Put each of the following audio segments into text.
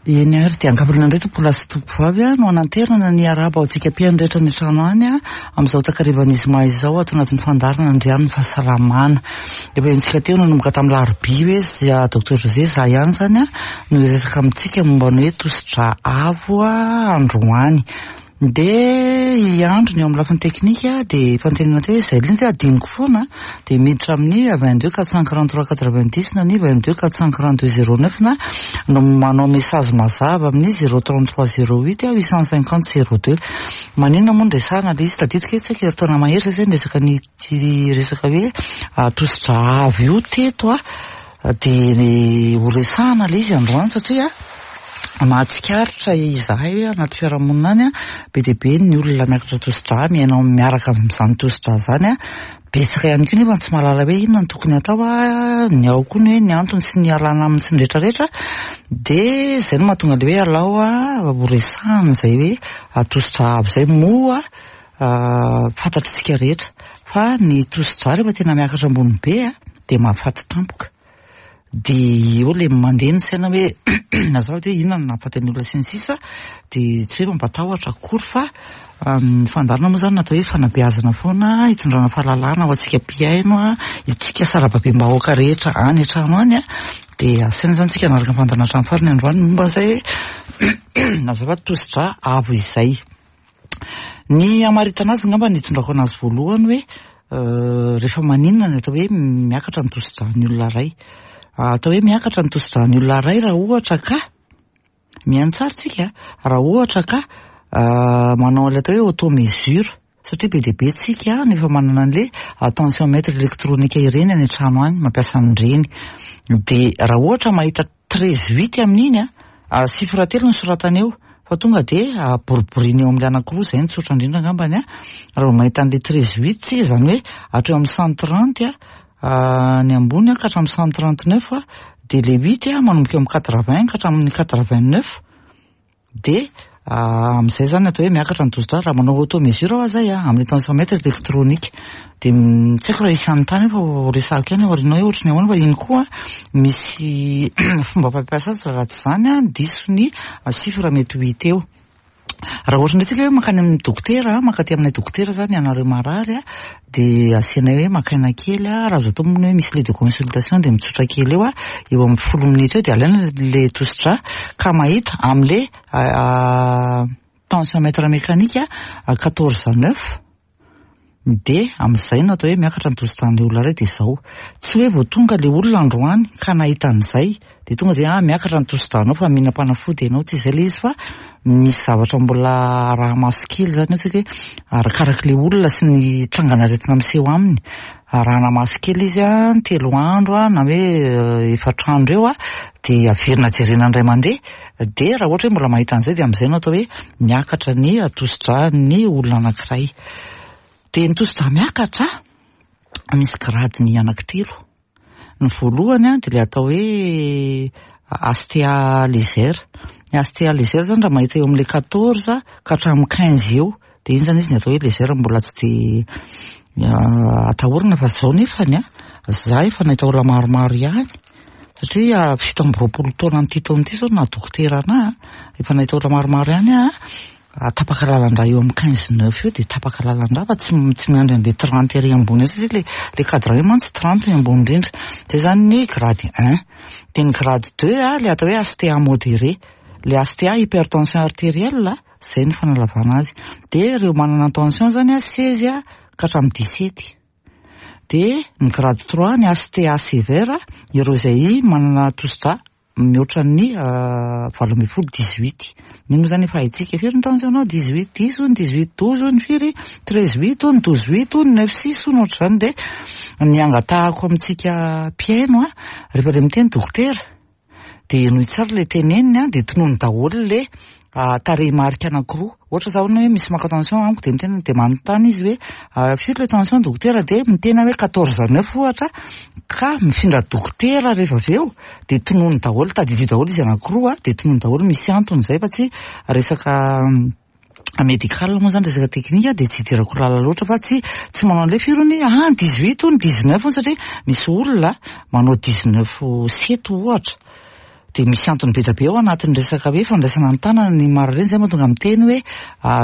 Eny ary dia ankapobeny indray tompokolahy sy tompokovavy no hananterana ny arahaba ho antsika mpihaino rehetra any an-trano any amin'izao takarivan'ny zoma izao ato anatin'ny fandaharana Andrianin'ny fahasalamana. Efa henontsika teo nanomboka tamin'ny larobia hoe za Docteur José za ihany izany no hiresaka amintsika momba ny hoe tosidra avo androany. Dia i Andry ny eo amin'ny lafiny teknika dia efa notenenina teo hoe izay indrindra adinoko foana dia miditra amin'ny 22 443 90 na ny 22 442 09 na no manao message mazava amin'ny 033 08 850 02. Maninona moa no resahana ilay izy? Tadidiko hoe tsy haiko herintaona mahery izay izay niresaka ny ity resaka hoe tosidra avo io teto dia ho resahana ilay izy androany satria mahatsikaritra izahay hoe anaty fiarahamonina any be dia be ny olona miakatra tosidra miaina ao miaraka amin'izany tosidra izany. Betsaka ihany koa nefa tsy mahalala hoe inona no tokony hatao, ny ao koa ny hoe ny antony sy ny ialana aminy sy ny rehetra rehetra. Dia izay no mahatonga ilay hoe alao ho resahana izay hoe tosidra avo izay moa fantatr'isika rehetra fa ny tosidra rehefa tena miakatra ambony be dia mahafaty tampoka. Dia eo ilay mandeha ny saina hoe azafady hoe inona no nahafaty ny olona sy ny sisa dia tsy hoe mampatahotra akory fa ny fandaharana moa izany natao hoe fanabeazana foana hitondrana fahalalana ho antsika mpihaino, isika sarababem-bahoaka rehetra any an-trano any dia asaina izany isika hanaraka ny fandaharana hatramin'ny farany androany momba izay hoe azafady tosidra avo izay. Ny hamaritana azy angamba ny hitondrako anazy voalohany hoe rehefa maninona ny atao hoe miakatra ny tosidran'ny olona iray. Atao hoe miakatra ny tosidran'ny olona iray raha ohatra ka, mihaino tsara tsika, raha ohatra ka manao an'ilay atao hoe auto-mesure satria be dia be tsika no efa manana an'ilay tensiomètre électronique ireny any an-trano any, mampiasa an'ireny. Dia raha ohatra mahita Treize huit amin'iny an, chiffre telo no soratana eo fa tonga dia boriboriana eo amin'ilay anankiroa, izay no tsotra indrindra angambany an, raha vao mahita an'ilay treize huit tsika izany hoe hatreo amin'ny 130 an, ny ambony an ka hatramin'ny 139 an, dia ilay huit an manomboka eo amin'ny quatre-vingts ka hatramin'ny quatre-vingt-neuf. Dia amin'izay izany atao hoe miakatra ny tosidra raha manao auto mesure aho zay a, amin'ny tensiomètre électronique. Dia tsy haiko raha hisy hanontany eo fa ho resahako ihany aoriana hoe ohatry ny ahoana fa iny koa misy fomba fampiasa azy raha tsy izany an, diso ny chiffre mety ho hita eo. Raha ohatra indray tsika hoe mankany amin'ny dokotera, mankaty aminay dokotera izany ianareo marary a, dia asianay hoe maka aina kely a, raha azo atao moa ny hoe misy lit de consultation dia mitsotra kely eo a, eo amin'ny folo minitra eo dia alaina le tosidra ka mahita amin'le tensiomètre mécanique 14 neuf dia amin'izay no atao hoe miakatra ny tosidran'ilay olona iray dia izao. Tsy hoe vao tonga ilay olona androany ka nahita an'izay dia tonga dia ah miakatra ny tosidranao fa mihinam-panafody ianao, tsy izay ilay izy fa misy zavatra mbola araha-maso kely izany eo satria arakarak'ilay olona sy ny trangan'aretina miseho aminy, arahana maso kely izy an, telo andro an, na hoe efatra andro eo an, dia averina jerena indray mandeha, dia raha ohatra hoe mbola mahita an'izay dia amin'izay no atao hoe miakatra ny tosidran'ny olona anankiray. Dia ny tosidra miakatra misy gradiny anankitelo. Ny voalohany dia ilay atao hoe HTA légère. Ny HTA légère izany raha mahita eo amin'ilay 14 ka hatramin'ny 15 eo, dia iny izany izy ny atao hoe légère mbola tsy dia atahorana fa izao nefany an, za efa nahita olona maromaro ihany satria 27 taona amin'ity taona ity izao no naha dokotera anahy, efa nahita olona maromaro ihany aho Tapaka lalan-drà eo amin'ny quinze neuf eo dia tapaka lalan-drà fa tsy tsy miandry an'ilay trente ery ambony eo satria ilay ilay cadre io mantsy trente ny ambony indrindra. Izay izany ny grade un. Dia ny grade deux a, ilay atao hoe HTA modéré. Ilay HTA hypertension artérielle, izay no fanalavana azy. Dia ireo manana tension izany a, seize ka hatramin'ny dix-sept. Dia ny grade trois, ny HTA sévère, ireo izay manana tosidrà mihoatra ny 18 18. Iny moa zany efa haintsika firy ny tension nao 18 10 hono 18 12 hono firy 13 8 hono 12 8 hono 9 6 hono ohatr'izany dia ny angatahako amintsika mpihaino a rehefa le miteny dokotera dia henoy tsara le teneniny a dia tonony daholo le tarehimarika anankiroa. Ohatra zao hoe misy maka tension amiko dia miteny dia manontany izy hoe firy le tension dokotera dia miteny aho hoe quatorze neuf ohatra ka mifindra dokotera rehefa avy eo dia tonony daholo tadidio daholo izy anankiroa dia tonony daholo misy antony izay fa tsy resaka médical moa zany resaka teknika dia tsy idirako lalina loatra fa tsy tsy manao an'ilay firy hono ah dix huit hono dix neuf hono satria misy olona manao dix neuf sept ohatra. Dia misy antony be dia be ao anatin'ny resaka hoe fandraisana an-tanana ny marary ireny, izay mahatonga miteny hoe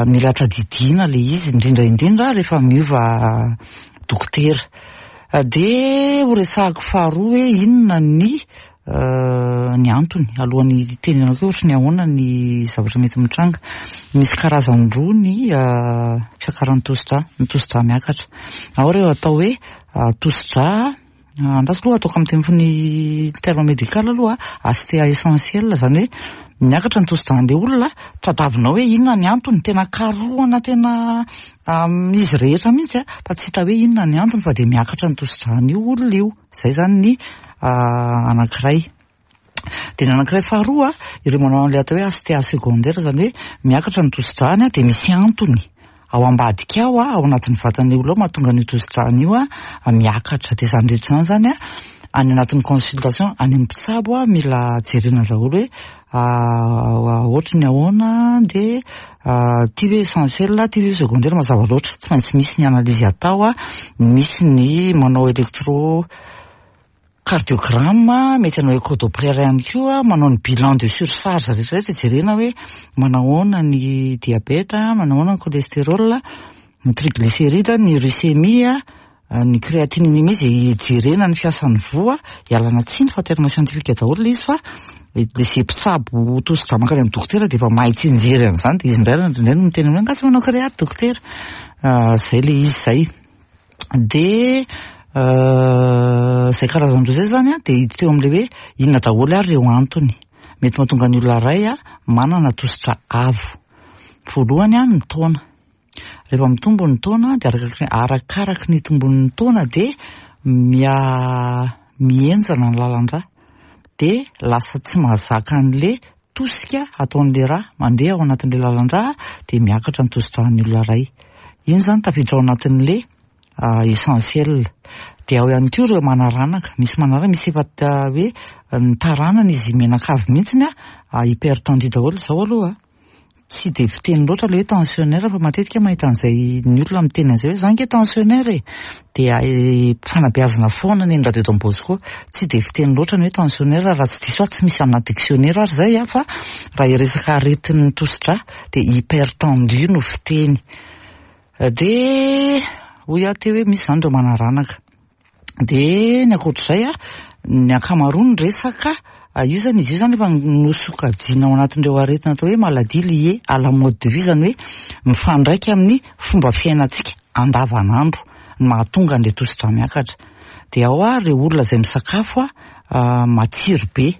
mila tadidiana ilay izy, indrindra indrindra rehefa miova dokotera. Dia ho resahako faharoa hoe inona ny ny antony, alohan'ny hitenenako hoe ohatry ny ahoana ny zavatra mety mitranga. Misy karazany roa ny fiakaran'ny tosidra, ny tosidra miakatra. Ao ireo atao hoe tosidra Andraso aloha ataoko amin'ny teny ny terme médical aloha, HTA essentiel izany hoe miakatra ny tosi-dran'ilay olona, tadiavinao hoe inona ny antony, tena karohana tena amin'izy rehetra mihitsy fa tsy hita hoe inona ny antony fa dia miakatra ny tosi-dran'io olona io, izay izany ny anankiray. Dia ny anankiray faharoa, ireo manao an'ilay atao hoe HTA secondaire, izany hoe miakatra ny tosi-drany dia misy antony ao ambadika ao, ao anatin'ny vatan'ilay olona ao mahatonga an'io tosi-drany io miakatra. Dia izany rehetra izany izany any anatin'ny consultation, any amin'ny mpitsabo mila jerena daholo hoe ohatry ny ahoana dia ity ve essentiel, ity ve secondaire, mazava loatra. Tsy maintsy misy ny analyse atao, misy ny manao électro Cardiogramme, mety hanao écho doppler ihany koa, manao ny bilan de surcharge rehetra rehetra jerena hoe manahoana ny diabète, manahoana ny cholestérol, ny triglycéride, ny uricémie, ny créatininémie izay hijerena ny fiasan'ny voa, ialana tsiny fa terme scientifique daholo ilay izy fa izay mpitsabo tosi-drà mankany amin'ny dokotera dia efa mahay tsianjery an'izany dia izy indray indraindray no miteny hoe angaha tsy manao créat dokotera, izay ilay izy izay. Dia izay karazan-droa izay izany an, dia hiditra eo amin'ilay hoe inona daholo ary ireo antony mety mahatonga ny olona iray manana tosidra avo. Voalohany an, ny taona. Rehefa mitombo ny taona dia arakaraky ny itombon'ny taona dia miha mihenjana ny lalan-drà. Dia lasa tsy mahazaka an'ilay tosika ataon'ilay rà mandeha ao anatin'ilay lalan-drà dia miakatra ny tosi-dràn'ny olona iray. Iny izany tafiditra ao anatin'ilay essentiel. Dia ao ihany koa ireo manaranaka, misy manaranaka, misy efa hoe ny taranany izy mianakavy mihitsiny hypertendu daholo izao aloha. Tsy dia fiteny loatra ilay hoe tensionnaire fa matetika mahita an'izay ny olona miteny an'izay hoe za ange tensionnaire e! Dia fanabeazana foana ny eny Radio Don Bosco. Tsy dia fiteny loatra ny hoe tensionnaire raha tsy diso aho tsy misy amina dictionnaire ary izay fa raha hiresaka aretin'ny tosi-drà dia hypertendu no fiteny. Dia hoy aho teo hoe misy izany ireo manaranaka. Dia ny ankoatr'izay an, ny ankamaroany resaka, io izany izy io izany efa nosokajiana ao anatin'ireo aretina atao hoe maladie liée à la mode de vie, izany hoe mifandraika amin'ny fomba fiainantsika andavanandro ny mahatonga an'ilay tosi-drà miakatra. Dia ao ary ireo olona izay misakafo matsiro be.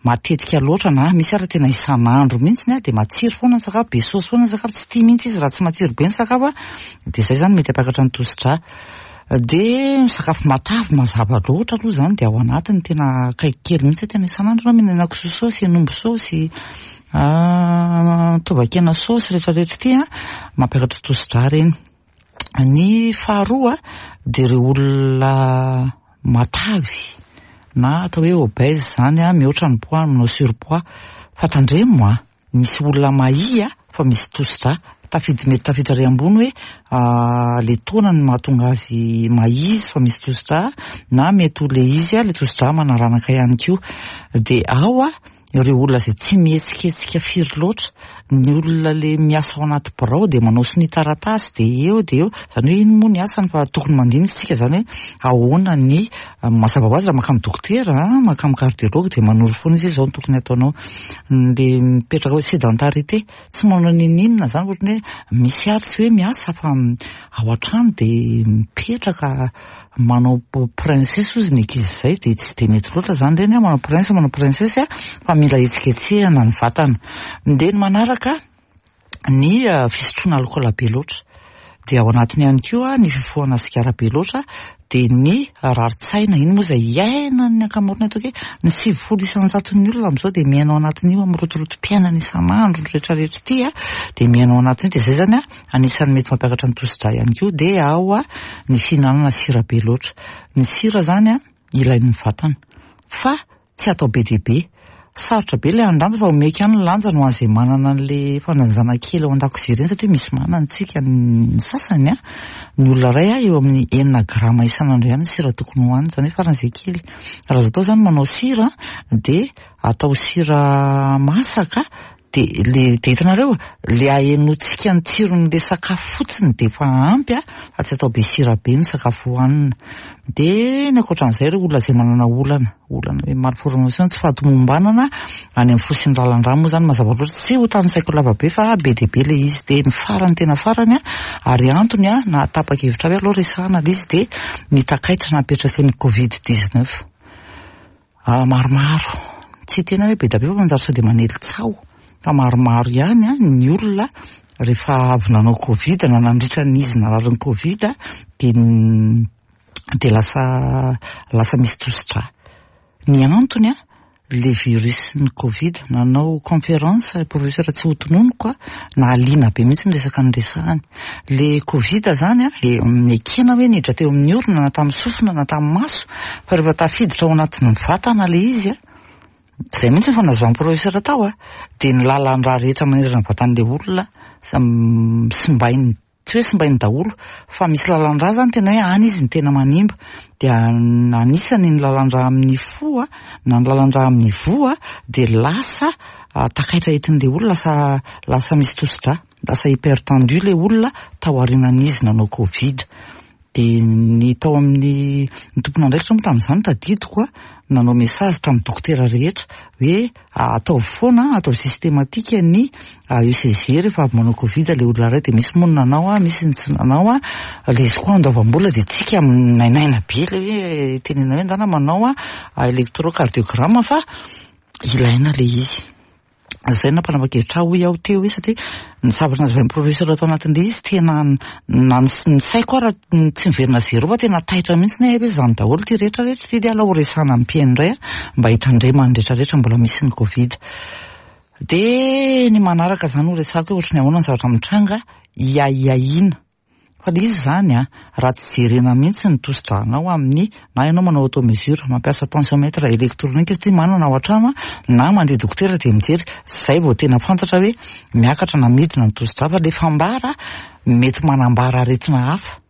Matetika loatra na misy ary tena isan'andro mihitsy dia matsiro foana ny sakafo, be saosy foana ny sakafo, tsy tia mihitsy izy raha tsy matsiro be ny sakafo dia izay izany mety hampiakatra ny tosi-drà. Dia misakafo matavy mazava loatra aloha izany dia ao anatiny tena akaiky kely mihitsy tena isan'andro ianao mihinana kisoa saosy, hen'omby saosy, tovakena saosy rehetra rehetra ity an, mampiakatra tosi-drà ireny. Ny faharoa dia ireo olona matavy na atao hoe obèse izany an, mihoatra ny poids, manao surpoids. Fa tandremo an, misy olona mahia fa misy tosi-drà, tafiditra mety tafiditra ary ambony hoe ilay taona no mahatonga azy mahia izy fa misy tosi-drà na mety ho ilay izy ilay tosi-drà manaranaka ihany koa. Dia ao an, ireo olona izay tsy mihetsiketsika firy loatra, ny olona le miasa ao anaty birao dia manao sonia taratasy dia eo dia eo, izany hoe iny moa ny asany fa tokony mandinika isika izany hoe ahoana ny, mazava ho azy raha mankany dokotera an, mankany cardiologue dia manoro foana izy hoe izao no tokony ataonao, le mipetraka hoe sédentarité, tsy manao n'inon'inona izany ohatran'ny hoe misy ary tsy hoe miasa fa ao an-trano dia mipetraka. Manao princesse ozy ny ankizy izay dia tsy dia mety loatra izany ireny manao prince manao princesse fa mila hetsiketsehana ny vatana. Dia ny manaraka ny fisotroana alikaola be loatra. Dia ao anatiny ihany koa ny fifohana sigara be loatra dia ny rarin-tsaina, iny moa izay iainan'ny ankamaroany ataoko hoe ny 90 isan-jaton'ny olona amin'izao dia miaina ao anatin'io amin'ny rotorotom-piainana isan'andro rehetrarehetra ity dia miaina ao anatin'io dia izay izany Anisan'ny mety mampiakatra ny tosi-drà ihany koa dia ao ny fihinanana sira be loatra. Ny sira izany ilain'ny vatana fa tsy atao be dia be. Sarotra be ilay handanja fa omeko ihany ny lanjany ho an'izay manana an'ilay fandanjana kely ao an-dakozia ireny satria misy manana tsika ny sasany an. Ny olona iray an, eo amin'ny enina grama isan'andro ihany ny sira tokony hohaniny, izany hoe faran'izay kely. Raha azo atao izany manao sira dia atao sira masaka dia le dia hitanareo le ahenoantsika ny tsiron'le sakafo fotsiny dia efa ampy an, fa tsy atao be sira be ny sakafo hohanina. Dia ny ankoatran'izay ireo olona izay manana olana, olana hoe malformation, tsy fahatomombanana any amin'ny fo sy ny lalan-drà moa izany mazava loatra, tsy ho tanisaiko lava be fa be dia be ilay izy. Dia ny farany tena farany an, ary antony an, nahatapa-kevitra ahy hoe aleo resahana ilay izy dia ny takaitra napetraky ny covid 19. Maromaro, tsy tena hoe be dia be fa manjary sao dia manely tsaho fa maromaro ihany ny olona rehefa avy nanao covid na nandritra ny izy nararin'ny covid dia dia lasa lasa misy tosi-drà. Ny antony an, le virus ny covid, nanao conférence professeur tsy ho tononiko an, nahaliana be mihitsy ny resaka niresahany. Le covid zany an, dia nekena hoe niditra teo amin'ny orona na tamin'ny sofina na tamin'ny maso, fa rehefa tafiditra ao anatin'ny vatana le izy an, izay mihitsy ny fanazavan'ny professeur tao an, dia ny lalan-drà rehetra manerana ny vatan'ilay olona simbainy, tsy hoe simbainy daholo, fa misy lalan-drà zany tena hoe any izy no tena manimba, dia anisany ny lalan-drà amin'ny fo an, na ny lalan-drà amin'ny voa dia lasa takaitra entin'ilay olona, lasa lasa misy tosi-drà. Lasa hypertendu ilay olona tao aorianan'izy nanao covid. Dia ny tao amin'ny ny tompon'andraikitra moa tamin'izany tadidiko a, nanao message tamin'ny dokotera rehetra hoe ataovy foana, ataovy systématique ny ECG rehefa avy manao covid ilay olona iray. Dia misy moa ny nanao a, misy ny tsy nanao a, ilay izy koa andoavam-bola dia tsika nainaina be ilay hoe tenenina hoe ndana manao électrocardiogramme fa ilaina ilay izy. Izay no nampanapa-kevitra ahy hoy aho teo hoe satria ny zavatra nazavain'ny professeur tao anatin'ilay izy tena na ny saiko ara tsy miverina zéro fa tena taitra mihitsy hoe izany daholo ity rehetra rehetra ity dia alao ho resahana amin'ny mpihaino indray mba hitandremany rehetra rehetra mbola misy ny covid. Dia ny manaraka izany ho resahako hoe ohatry ny ahoana ny zavatra mitranga hiahiahiana. Fa le izy zany an, raha tsy jerena mihitsy ny tosi-drànao amin'ny, na ianao manao auto mesure, mampiasa tensiomètre électronique satria manana ao an-trano an, na mandeha dokotera dia mijery, zay vao tena fantatra hoe miakatra na midina ny tosi-drà, fa le fambara mety manambara aretina hafa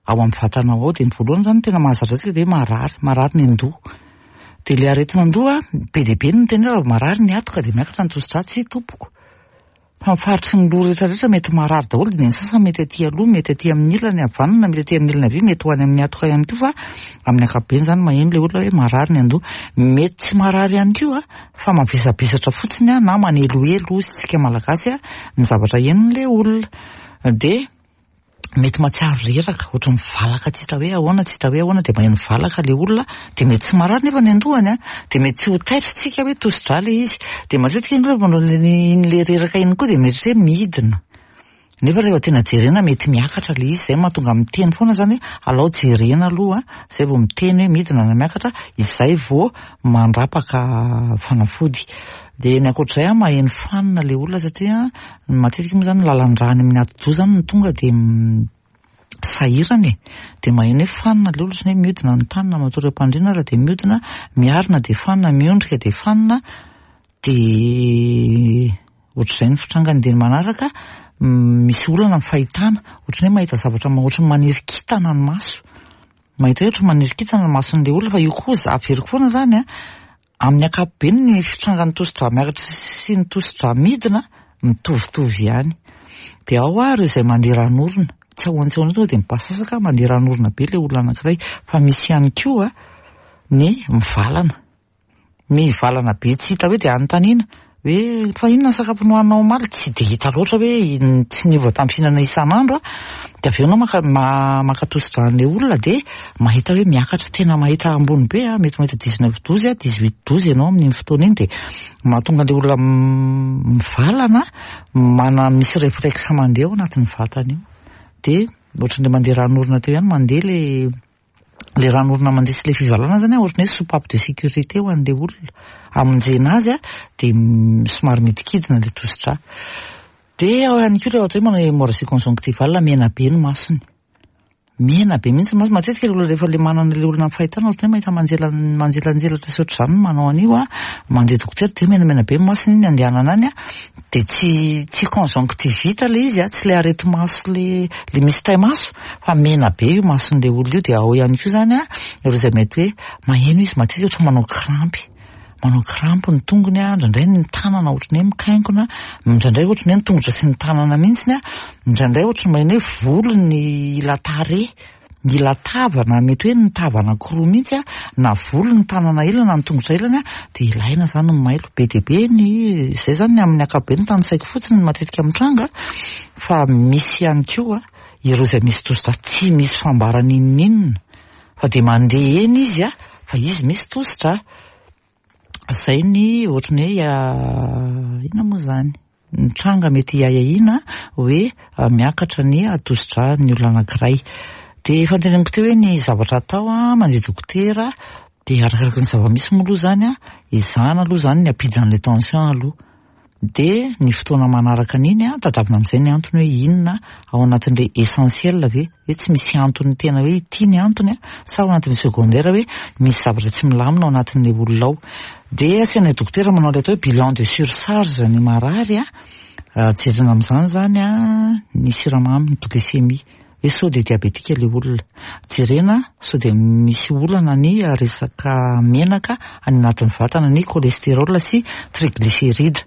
ao amin'ny vatanao ao, dia ny voalohany zany tena mahazatra antsika dia hoe marary, marary ny an-doha, dia le aretina an-doha be dia be no miteny hoe raha vao marary ny hatoka dia miakatra ny tosi-drà, tsia tompoko. Fa ny faritry ny loha rehetra rehetra mety marary daholo dia ny sasany mety aty aloha, mety aty amin'ny ilany havanana, mety aty amin'ny ilany havia, mety ho any amin'ny hatoka ihany koa fa amin'ny ankapobeny izany maheno ilay olona hoe marary ny andoha. Mety tsy marary ihany koa fa mavesabesatra fotsiny na manelohelo hozy tsika malagasy ny zavatra henon'ilay olona. Dia mety mahatsiaro reraka, ohatran'ny valaka tsy hita hoe ahoana, tsy hita hoe ahoana, dia maheno valaka ilay olona, dia mety tsy marary nefa ny andohany an, dia mety tsy ho taitra isika hoe tosi-drà ilay izy, dia matetika ny olona manao iny ilay reraka iny koa dia mieritreritra hoe midina, nefa rehefa tena jerena mety miakatra ilay izy, izay no mahatonga miteny foana izany hoe alao jerena aloha izay vao miteny hoe midina na miakatra, izay vao mandrapaka fanafody. Dia ny ankoatr'izay an, maheno fanina ilay olona satria Matetika moa zany ny lalan-drà any amin'ny atidoha zany no tonga dia sahirana e. Dia maheno hoe fanina ilay olona, ohatran'ny hoe mihodina ny tany na matory am-pandriana ary dia mihodina, miarina dia fanina, miondrika dia fanina, dia ohatr'izay ny fitrangany. Dia ny manaraka, misy olana amin'ny fahitana, ohatran'ny hoe mahita zavatra ohatran'ny maniry kintana ny maso. Mahita hoe ohatran'ny maniry kintana ny mason'ilay olona fa io koa averiko foana izany an, Amin'ny ankapobeny ny fitrangan'ny tosi-drà miakatra sy ny tosi-drà midina mitovitovy ihany. Dia ao ary izay mandeha ran'orona, tsy ahoana tsy ahoana tonga dia mipasasaka mandeha ran'orona be ilay olona anankiray. Fa misy ihany koa ny mivalana, mivalana be tsy hita hoe dia anontaniana hoe fa inona ny sakafo nohaninao omaly? Tsy dia hita loatra hoe tsy niova tamin'ny fihinana isan'andro aho. Dia avy eo ianao maka maka tosi-drà an'ilay olona dia mahita hoe miakatra, tena mahita ambony be an, mety mahita dix-neuf douze an, dix-huit douze ianao amin'iny fotoana iny dia mahatonga an'ilay olona mivalana, mana misy réflexe mandeha ao anatin'ny vatany io. Dia ohatran'ilay mandeha ran'orona teo ihany, mandeha ilay le ran'orona mandeha sy le fivalana zany ohatran'ny hoe soupape de sécurité ho an'le olona hamonjena azy dia somary midikidina le tosi-drà. Dia ao ihany koa ilay atao hoe manao hémorragie conjonctivale, mena be ny masony. Mena be mihitsy ny maso. Matetika ilay olona rehefa ilay manana ilay olona amin'ny fahitana ohatran'ny hoe mahita manjela manjelanjelatra sy ohatr'izany no manao an'io an, mandeha dokotera dia menamena be ny masony iny andehanana any an, dia tsy tsy conjonctivite ilay izy an, tsy ilay areti-maso ilay ilay misy tai-maso fa mena be io mason'ilay olona io dia ao ihany koa izany an, ireo izay mety hoe maheno izy matetika ohatran'ny manao krampy. manao crampe ny tongony a, indraindray ny tanana ohatran'ny hoe mikainkona, indraindray ohatran'ny hoe ny tongotra sy ny tanana mihitsiny a, indraindray ohatran'ny maheno hoe volo ny ila tarehy, ny ila tava na mety hoe ny tava anankiroa mihitsy a, na volo ny tanana ilany na ny tongotra ilany a, dia ilaina izany ny mailo. Be dia be ny, izay izany ny amin'ny ankapobeny tanisaiko fotsiny ny matetika mitranga fa misy ihany koa ireo izay misy tosi-drà tsy misy fambara n'inon'inona. Fa dia mandeha eny izy a, fa izy misy tosidra. Zay ny ohatran'ny hoe inona moa izany? Ny tranga mety hiahiahiana hoe miakatra ny tosidran'ny olona anankiray. Dia efa noteneniko teo hoe ny zavatra atao a, mandeha dokotera, dia arakaraka ny zava-misy moa aloha izany a, ezahana aloha izany ny hampidina an'ilay tension aloha. Dia ny fotoana manaraka an'iny an, tadiavina amin'izay ny antony hoe inona ao anatin'ilay essentiel ve? Hoe tsy misy antony tena hoe ity ny antony an, sa ao anatin'ny secondaire hoe misy zavatra tsy milamina ao anatin'ilay olona ao. Dia asainay dokotera manao ilay atao hoe bilan de surcharge ny marary an, jerena amin'izany izany an ny siramamy, ny glycémie. Hoe sao dia diabetika ilay olona. Jerena sao dia misy olana ny resaka menaka any anatin'ny vatana, ny cholestérol sy triglycéride.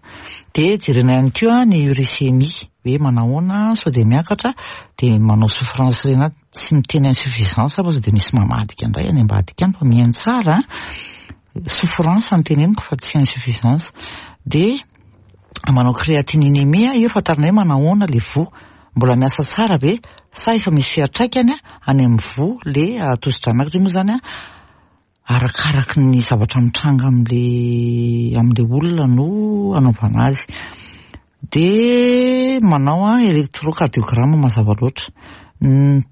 Dia jerena ihany koa ny uricémie, hoe manahoana sao dia miakatra, dia manao souffrance rénale, tsy miteny insuffisance fa sao dia misy mamadika indray any ambadika any fa mihaino tsara an, souffrance no teneniko fa tsy insuffisance. Dia manao créatininémie, io fantarina hoe manahoana ilay voa. Mbola miasa tsara ve sa efa misy fiantraikany any amin'ny voa le tosidra miakatra? Io moa zany arakaraky ny zavatra mitranga amin'le amin'le olona no anaovana azy. De manao électrocardiogramme mazava loatra.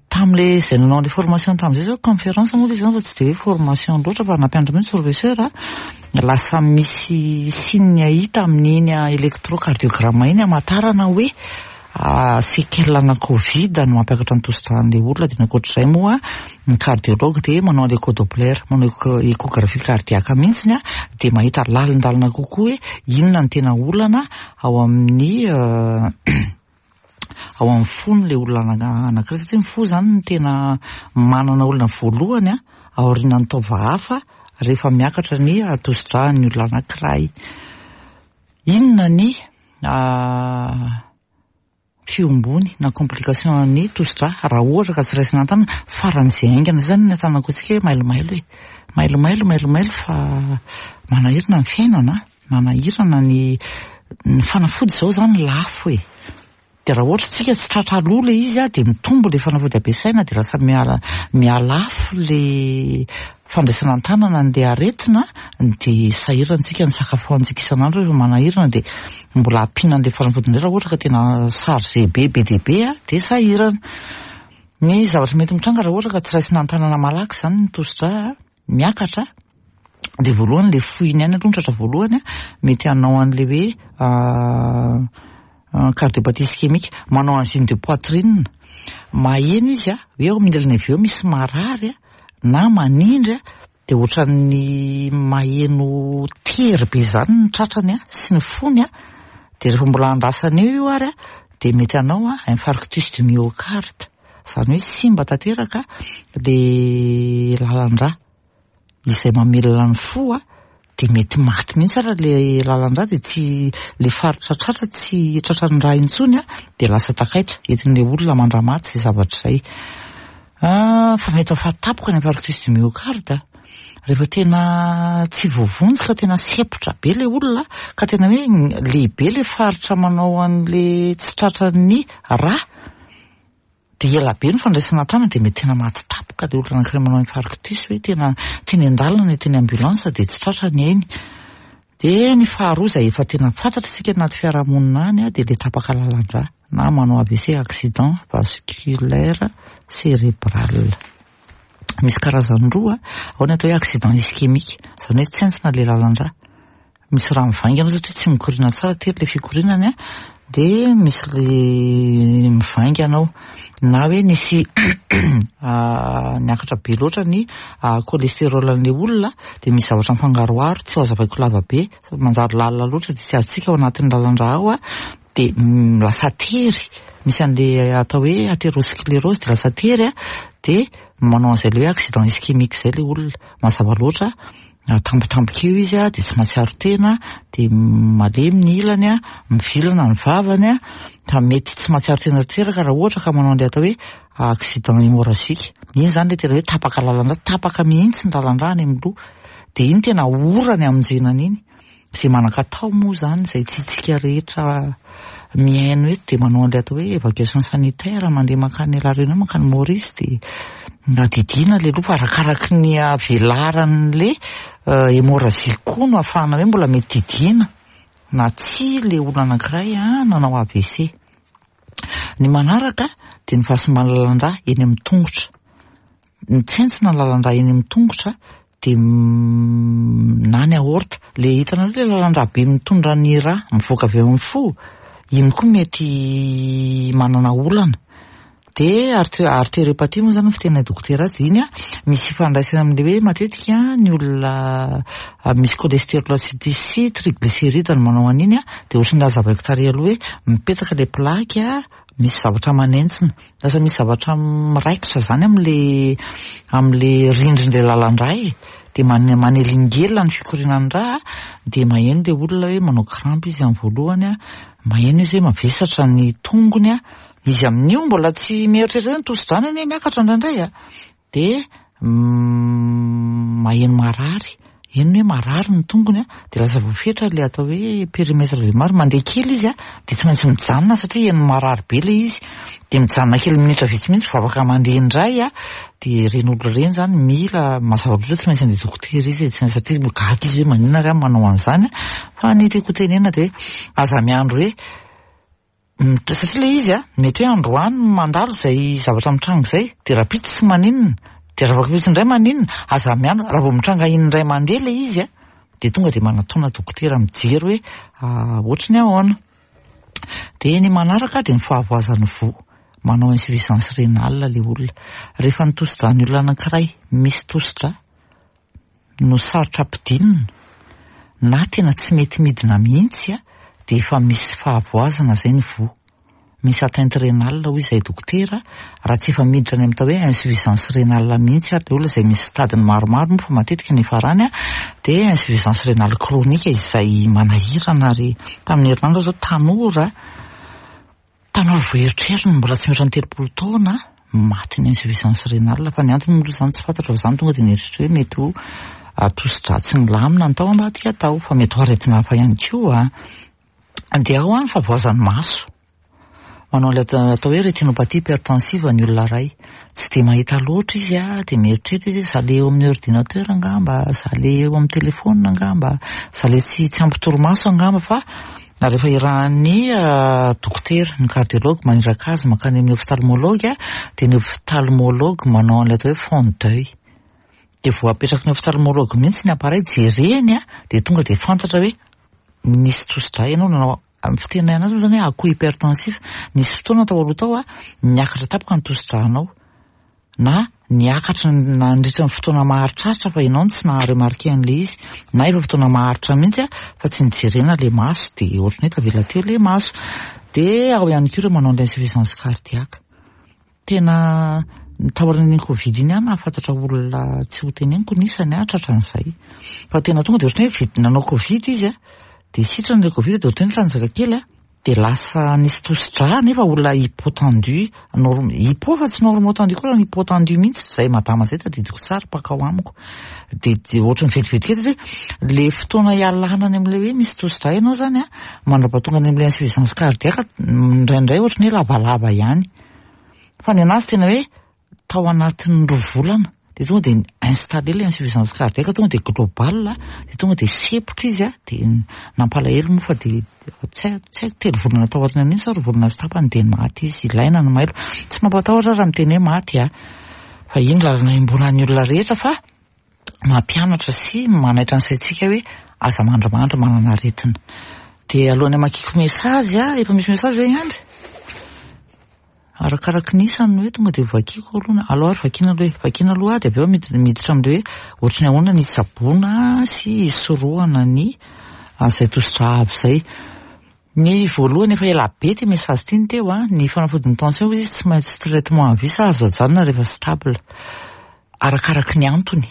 Tamin'le izay nanao an'le formation tamin'izay zao conférence moa le izy zany fa tsy de hoe formation loatra fa nampianatra mihitsy professeur lasa misy signe hita amin'iny électrocardiogramme iny hamantarana hoe Séquelles ana covid no mampiakatra ny tosidran'ilay olona dia ny ankoatr'izay moa ny cardiologue dia manao an'ilay écho-doppler, manao échographie cardiaque mihitsy dia mahita lalindalina kokoa hoe inona no tena olana ao amin'ny ao amin'ny fon'ilay olona anankiray satria ny fo izany no tena manana olana voalohany aorianan'ny taova hafa rehefa miakatra ny tosidran'ny olona anankiray. Inona ny fiombony na complication an'ny tosidra raha ohatra ka tsy raisina an-tanana faran'izay haingana izay zany ny atanako antsika hoe mailomailo e mailomailo mailomailo fa manahirana ny fiainana manahirana ny ny fanafody izao zany lafo e Dia raha ohatra tsika tsy tratra aloha ilay izy dia mitombo ilay fanafody ampiasaina dia lasa miala mihalafo ilay fandraisana an-tanana an'ilay aretina dia sahirana tsika ny sakafo hohanintsika isan'andro rehefa manahirana dia mbola ampiana an'ilay fanafody indray raha ohatra ka tena chargé be be dia be dia sahirana. Ny zavatra mety mitranga raha ohatra ka tsy raisina an-tanana malaky izany ny tosidra miakatra dia voalohany ilay fohiny ihany aloha ny tratra voalohany mety hanao an'ilay hoe cardiopathie ischémique, manao angine de poitrine, maheno izy hoe eo amin'ny ilany avy eo misy marary na manindry dia ohatran'ny maheno tery be izany ny tratrany sy ny fony dia rehefa mbola andrasana eo io ary dia mety hanao infarctus du myocarde. Izany hoe simba tanteraka le lalan-drà izay mamelona ny fo dia mety maty mihitsy ary le lalan-drà dia tsy le faritra tratra tsy tratran'ny rà intsony dia lasa takaitra entin'ilay olona mandra-maty izay zavatra izay. Fa mety ho faty tampoka ny infarctus du myocarde rehefa tena tsy voavonjy ka tena sempotra be ilay olona ka tena hoe lehibe ilay faritra manao an'ilay tsy tratran'ny rà. Dia ela be ny fandraisana an-tanana dia mety tena maty tampoka ilay olona anankiray manao infarctus hoe tena teny an-dalana na teny ambulance dia tsy tratra ny ainy. Dia ny faharoa izay efa tena fantatra isika anaty fiarahamonina any dia ilay tapaka lalan-drà na manao AVC accident vasculaire cérébral. Misy karazany roa, ao ny atao hoe accident ischémique, izany hoe tsentsina ilay lalan-drà. misy rà mivaingana satria tsy mikoriana tsara, tery ilay fikorianany an, dia misy le mivaingana ao. Na hoe nisy niakatra be loatra ny cholestérol an'ilay olona dia misy zavatra mifangaroharo, tsy ho hazavaiko lava be, manjary lalina loatra dia tsy azontsika ao anatin'ny lalan-drà ao an, dia lasa tery, misy an'ilay atao hoe athérosclérose dia lasa tery an, dia manao an'izay ilay hoe accident ischémique izay ilay olona. Mazava loatra, tampotampoka eo izy dia tsy mahatsiaro tena, dia malemy ny ilany, mivilana ny vavany, fa mety tsy mahatsiaro tena tanteraka raha ohatra ka manao an'ilay atao hoe accident hémorragique. Iny izany ilay tena hoe tapaka lalan-drà, tapaka mihitsy ny lalan-drà any amin'ny loha. Dia iny tena ora ny hamonjena an'iny. Izay manan-katao moa izany, izay tiantsika rehetra mihaino eto dia manao an'ilay atao hoe évacuation sanitaire, mandeha mankany La Réunion, mankany Maurice dia mba didiana ilay loha fa arakaraky ny havelaran'ilay hémorragie koa no ahafahana hoe mbola mety didiana na tsia ilay olona anankiray nanao AVC. Ny manaraka dia ny fahasimban'ny lalan-drà eny amin'ny tongotra. Mitsentsina ny lalan-drà eny amin'ny tongotra dia na ny aorta, le hitanareo le lalan-drà be mitondra ny rà mivoaka avy eo amin'ny fo, iny koa mety manana olana. Dia artériopathie moa zany ny fiteninay dokotera azy, iny an, misy ifandraisany amin'ilay hoe matetika ny olona misy cholestérol sy triglycéride no manao an'iny an, dia ohatran'ny nazavaiko tary aloha hoe mipetaka ilay plaque misy zavatra manentsina. Lasa misy zavatra miraikitra zany amle amle rindrin'le lalan-drà e, de manelingelina ny fikorianan'ny rà de maheno le olona hoe manao crampe izy amin'ny voalohany an, maheno izy hoe mavesatra ny tongony an, izy amin'io mbola tsy mieritreritra hoe ny tosi-drà-ny anie miakatra indraindray an, dia maheno marary, heno hoe marary ny tongony an, dia lasa voafetra ilay atao hoe périmètre de marche, mandeha kely izy an, dia tsy maintsy mijanona satria heno marary be ilay izy, dia mijanona kely minitra vitsy mihitsy vao afaka mandeha indray an, dia ireny olona ireny izany mila, mazava loatra hoe tsy maintsy andeha dokotera izy e, satria gaga izy hoe maninona ary aho manao an'izany an, fa ny tiako hotenenina dia hoe aza miandry hoe Satria ilay izy a, mety hoe androany mandalo izay zavatra mitranga izay, dia rahampitso tsy maninona, dia rahampitso indray maninona, aza miandry, raha vao mitranga indray mandeha ilay izy a, dia tonga dia manatona dokotera mijery hoe ohatry ny ahoana. Dia ny manaraka dia ny fahavoazan'ny voa, manao insuffisance rénale ilay olona. Rehefa ny tosi-dràn'ny olona anankiray misy tosi-drà, no sarotra ampidinina na tena tsy mety midina mihitsy dia efa misy fahavoazana izay ny voa. Misy atteinte rénale hoy izay dokotera raha tsy efa miditra any amin'ny atao hoe insuffisance rénale mihitsy ary ilay olona izay misy stade-ny maromaro moa fa matetika ny hiafarany dia insuffisance rénale chronique izay manahirana ary tamin'ny herinandro aho izao tanora Tanora vao erotrerony mbola tsy mihoatra ny 30 taona matin'ny insuffisance rénale fa ny antony moa izany tsy fantatra fa izany tonga dia nieritreritra hoe mety ho tosi-drà tsy nilamina ny tao ambadika tao fa mety ho aretina hafa ihany koa. Dia ao ny fahavoazan'ny maso. Manao ilay atao hoe rétinopathie hypertensive ny olona iray. Tsy dia mahita loatra izy dia mieritreritra izy hoe za le eo amin'ny ordinateur angamba, za le eo amin'ny téléphone angamba, za le tsy tsy ampy torimaso angamba fa rehefa irahan'ny dokotera, ny cardiologue maniraka azy mankany amin'ny ophtalmologue dia ny ophtalmologue manao an'ilay atao hoe fond d'oeil. Dia vao apetraky ny ophtalmologue mihitsy ny appareil jereny dia tonga dia fantatra hoe nisy tosi-drà ianao nanao Amin'ny fitenenana anazy moa izany hoe à-coup hypertensif, nisy fotoana tao aloha tao niakatra tampoka ny tosi-drànao na niakatra nandritra ny fotoana maharitraritra fa ianao no tsy naha-remarquer an'ilay izy, na efa fotoana maharitra mihitsy fa tsy nijerena ilay maso dia ohatran'ny hoe tavela teo ilay maso. Dia ao ihany koa ireo manao an'ilay insuffisance cardiaque. Tena taorian'iny covid iny aho nahafantatra olona tsy ho teneniko ny isany aho tratran'izay. Fa tena tonga dia ohatran'ny hoe vita nanao covid izy an, dia sitrana ilay covid dia ohatran'ny hoe nitanjaka kely an, dia lasa nisy tosi-drà nefa olona hypotendu, norm- hypo fa tsy normotendu koa fa hypotendu mihitsy izay madama izay tadidiko tsara mpankao amiko. Dia dia ohatran'ny vetivety kely satria ilay fotoana ialana any amin'ilay hoe misy tosi-drà ianao izany an, mandra-pahatonga any amin'ilay insuffisance cardiaque indraindray ohatran'ny hoe lavalava ihany. Fa ny anazy tena hoe tao anatin'ny roa volana dia tonga dia installé ilay insuffisance cardiaque, tonga dia global, dia tonga dia sempotra izy dia nampalahelo moa fa dia tsy haiko, tsy haiko telo volana tao aorianan'iny sa roa volana sy tapany dia maty izy, ilaina ny mailo. Tsy mampatahotra raha miteny hoe maty a, fa iny lalana iombonan'ny olona rehetra fa mampianatra sy manaitra ny saintsika hoe. Aza mandrimandry manana aretina. Dia alohan'ny hamakiako message a, efa misy message ve i Andry? Arakaraky ny isany no hoe tonga dia vakiako aloha na, aleo ary vakiana aloha e, vakiana aloha dia avy eo miditra amin'ilay hoe ohatry ny ahoana ny hitsaboana sy hisorohana ny izay tosidra avo izay. Ny voalohany efa ela be ity message ity ny teo a, ny fanafodin'ny tension hoy izy tsy maintsy traitement à vie sa azo ajanona rehefa stable. Arakaraky ny antony.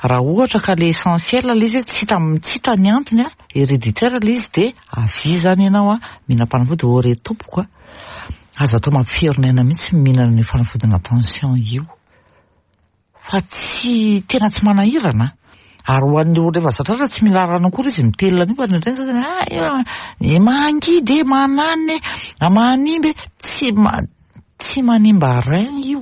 Raha ohatra ka le essentiel le izy hoe tsy hita tsy hita ny antony a, héréditaire le izy dia avia izany ianao a, mihinam-panafody ô re tompoko a, aza atao mampiferinaina mihitsy ny mihinana an'io fanafodina tension io fa tsy tena tsy manahirana ary ho an'ny olona efa zatra aza tsy mila rano akory izy mitelina an'io fa indraindray ny sasany ah io mangidy e, mananina e, manimba e, tsy Tsy manimba rein io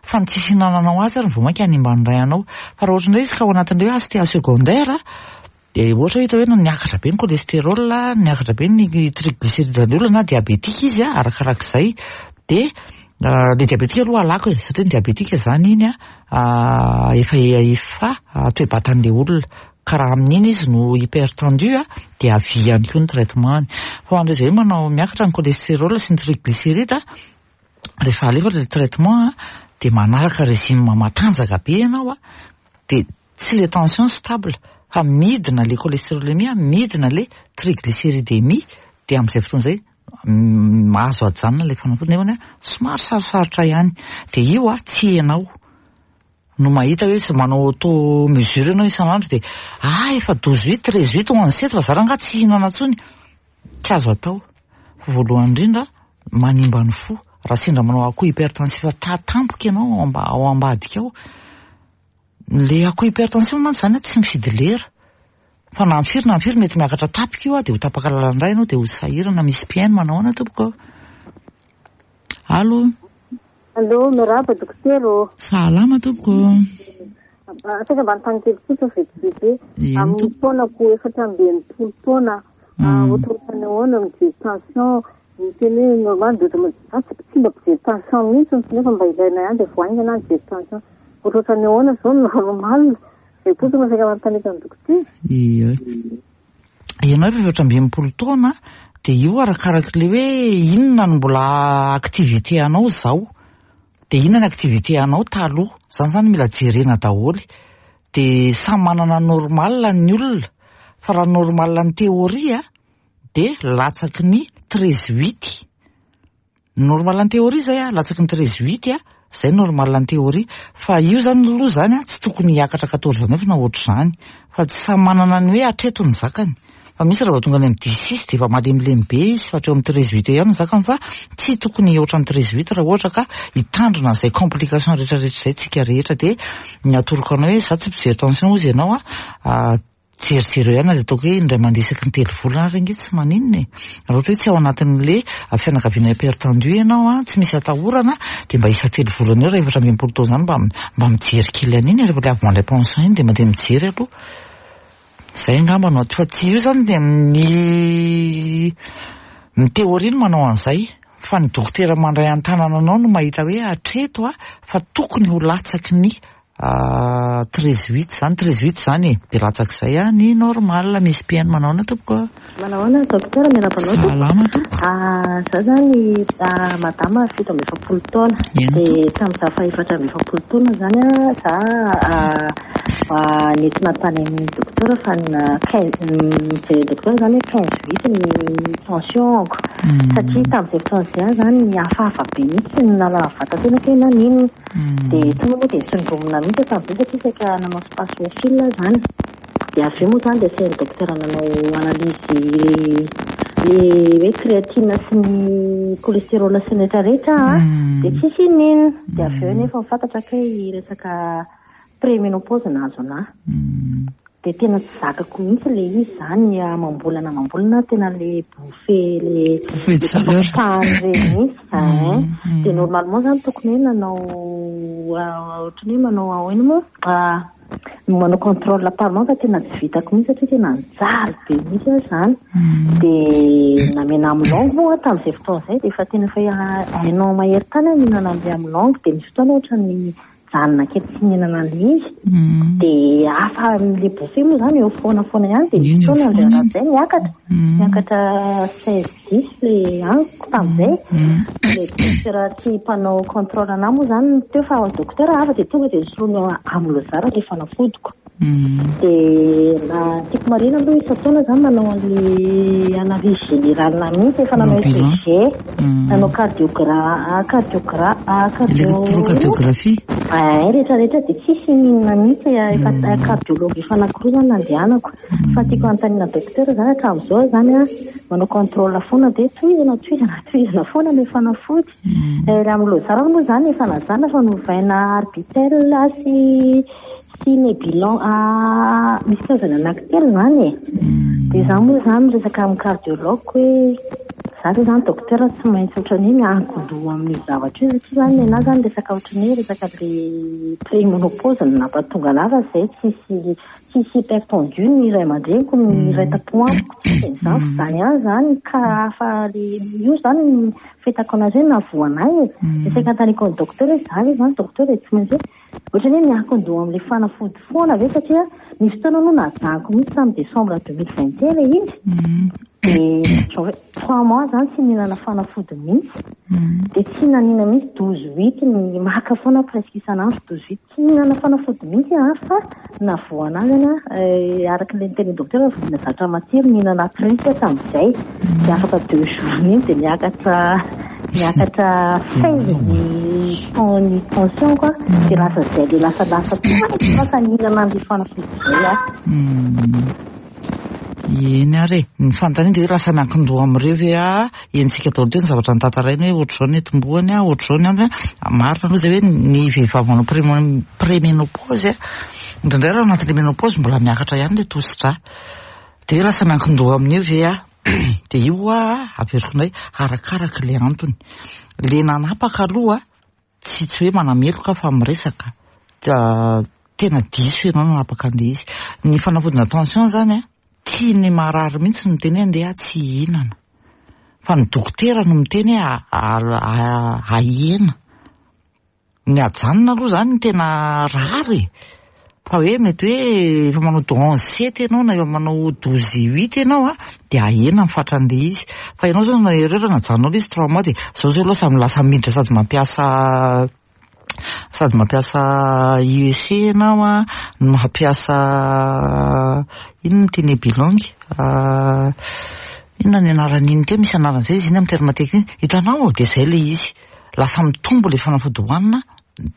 fa ny tsy fihinananao azy ary vao mainka hanimba ny rein anao. Fa raha ohatra indray izy ka ao anatin'ilay hoe HTA secondaire dia ohatra hoe hita hoe niakatra be ny cholestérol, niakatra be ny triglycéride an'ny olona na diabetika izy arakarak'izay dia ilay diabetika aloha alako e satria ny diabetika izany iny efa efa toe-batan'ilay olona ka raha amin'iny izy no hypertendu dia avia ihany koa ny traitement-ny. Fa ho an'ireo izay hoe manao miakatra ny cholestérol sy ny triglycéride, rehefa alefa ilay traitement dia manaraka régime matanjaka be ianao dia tsy ilay tension stable fa midina ilay cholestérolémie, midina ilay triglycéridémie dia amin'izay fotoana izay azo ajanona ilay fanafody nefa somary sarosarotra ihany. Dia io tsy ianao no mahita hoe manao auto mesure ianao isan'andro dia ah efa 12 huit, 13 huit, 11 sept fa za rangaha tsy hihinana intsony. Tsy azo atao. Fa voalohany indrindra manimba ny fo. Raha sendra manao akoho hypertensif tampoka ianao ao ambadika ao. Le akoho hypertension mantsy izany tsy mifidy lera. Fa na amin'ny firy na amin'ny firy mety miakatra tapika io dia ho tapaka lalan-dra ianao dia ho sahirana misy mpihaino manao ahoana tompoko? Allo. Allo, miarahaba dokotera ô. Salama tompoko. Saika mba anontany kely fotsiny vetivety hoe amin'ny taonako 64 taona ohatrohatran'ny ahoana mijery tension miteny hoe normal dia ohatran'ny za tsy mba mpijery tension mihitsy nefa mba ilaina ihany dia vao haingana aho nijery tension ohatrohatran'ny ahoana izao no normal izay fotsiny no saika manontaniako an'i dokotera. Ie. Ianao efa 64 taona dia io arakarak'ilay hoe inona no mbola activité anao izao. Dia inona ny activité anao taloha. Izany izany mila jerena daholo. Dia samy manana normal ny olona. Fa raha normal ny théorie dia latsaky ny 13 huit. Normal en théorie zay a, latsaky ny 13 huit a, zay normal en théorie. Fa io zany aloha zany a, tsy tokony hiakatra 14 neuf na ohatr'izany. Fa tsy samy manana ny hoe hatreto ny zakany. Fa misy raha vao tonga any amin'ny dix six dia efa malemilemy be izy fa hatreo amin'ny 13 huit eo ihany ny zakany fa tsy tokony hihoatra ny 13 huit raha ohatra ka hitandrina an'izay complication rehetrarehetra izay tsika rehetra. Dia ny atoroko anao hoe za tsy mpijery tension hozy ianao a, Jerijereo ihany na dia ataoko hoe indray mandeha isaky ny 3 volana ary ange tsy maninona e. Raha ohatra hoe tsy ao anatin'le fianakaviana hypertendu ianao an, tsy misy atahorana, dia mba isan-telo volana eo raha 64 taona izany mba mba mijery kely an'iny e, rehefa le avy mandray pension iny dia mandeha mijery aloha. Izay angamba no atao fa tsy io izany dia ny ny théorie no manao an'izay fa ny dokotera mandray an-tanana anao no mahita hoe hatreto a fa tokony ho latsaky ny 13 huit zany, 13 huit zany e, dia latsak'izay a ny normal, misy mpihaino manao ahoana tompoko a? Manao ahoana docteur, miarahaba anao tompoko. Salama tompoko. Za zany madama 47 taona, dia tamin'ny za faha 44 taona zany a, za nentina tany amin'ny docteur fa nijery docteur zany hoe 15 huit ny tension-ko, satria tamin'izay fotoana izay aho zany nihafahafa be mihitsy, tsy nahalala vatan-tenako hoe naninona. Dia tonga moa dia nitsindromina mihitsy aho tamin'izay satria saika nanao spasmophile aho izany. Dia avy eo moa izany dia asain'ny dokotera nanao analyse le hoe créatine sy ny cholestérol sy ny rehetra rehetra aho dia tsisy inona. Dia avy eo nefa fantatra kay resaka préménopause nahazo an'ahy. Dia tena tsy zakako mihitsy ilay izy izany amam-bolana amam-bolana tena ilay bouffée le Bouffée de chaleur. tapatapahany ireny mihitsy hein. Dia normalement izany tokony hoe nanao ohatran'ny hoe manao ahoana moa manao contrôle par mois fa tena tsy vitako mihitsy satria tena nijaly be mihitsy aho izany. Dia namena amilongo moa aho tamin'izay fotoana izay dia efa tena efa un an mahery tany aho nihinana an'ilay amilongo dia nisy fotoana ohatran'ny. Najanona kely tsy nihinana an'ilay izy. Dia hafa amin'ilay bouffée moa izany eo foana foana ihany dia nisy fotoana indray andro izay niakatra. Niakatra 16 10 ilay amiko tamin'izay. Ilay docteur tsy mpanao contrôle an'ahy moa izany teo fa docteur hafa dia tonga dia nisoloany amlozar ilay fanafodiko. Dia na tiako marihina aloha isan-taona izany manao an'ilay analyse générale mihitsy, efa nanao ECG, nanao cardiogra, cardiogra, cardio. Électrocardiographie. Ay, rehetra rehetra dia tsisy n'inona mihitsy, efa cardiologue efa anankiroa izany nandehanako. Fa tiako hanontaniana docteur izany hatramin'izao izany an, manao contrôle foana dia tohizana, tohizana, tohizana foana ilay fanafody. Raha amin'ny lozara moa izany efa najanona fa novaina arbitel sy sy Nebilon misy karazany anankitelo izany e. Dia izaho moa izany miresaka amin'ny cardiologue hoe izaho ve izany docteur tsy maintsy ohatran'ny hoe miankin-doha amin'io zavatra io satria izany ny anà izany resaka ohatran'ny hoe resaka ilay préménopause no nampatonga anà fa izay tsisy tsisy hypertendu ny ray aman-dreniko ny iray tampo amiko tsisy an'izany fa izany ihany izany ka hafa le io izany ny fahitako an'azy hoe nahavoa anay e. Dia saika anontaniako ny docteur hoe izaho ve izany docteur dia tsy maintsy hoe Ohatran'ny hoe miankin-doha amin'ilay fanafody foana ve satria nisy fotoana aloha najanoko mihitsy tamin'ny décembre 2021 ilay izy dia janvier trois mois zany tsy nihinana fanafody mihitsy dia tsy nanina mihitsy douze huit ny maka foana presque isan'andro douze huit tsy nihinana fanafody mihitsy aho fa navoa anazy any aho araka ilay nitenin'ny docteur vao mihinana zavatra matsiro mihinana truc aho tamin'izay dia afaka deux jours iny dia miakatra miakatra 16 ny ny tension quoi dia lasa izay le lasa lasa lasa nihinana an'ilay fanafody izay aho. Eny ary e, ny fanontaniana dia hoe lasa miankin-doha amin'ireo ve aho, henontsika daholo teo ny zavatra notantaraina hoe ohatr'izao ny tombohany, ohatr'izao ny antony, marina aloha izay hoe ny vehivavy manao préménopause, indraindray raha anatin'ilay ménopause mbola miakatra ihany ilay tosi-drà. Dia lasa miankin-doha amin'io ve aho? Dia io hoa averiko indray, arakaraka ilay antony. Ilay nanapaka aloha, tsy tsy hoe manameloka aho fa miresaka, tena diso ianao nanapaka an'ilay izy. Ny fanafodina tension izany an, tsy ny marary mihitsy no miteny hoe andeha aho tsy hihinana. Fa ny dokotera no miteny hoe ahena. Ny ajanona aloha izany no tena rare e! Fa hoe mety hoe efa manao 11 sept ianao na efa manao 12 huit ianao an, dia ahena ny fatran'ilay izy. Fa ianao izao nanao erreur najanonao ilay izy trois mois dia izao izao aloha samy lasa miditra sady mampiasa sady mampiasa IEC ianao an, no mampiasa inona ity Nebilong? Inona ny anaran'iny teo? Misy anarany izay izy iny amin'ny terme technique. Hitanao? Dia izay ilay izy. Lasa mitombo ilay fanafody hohanina,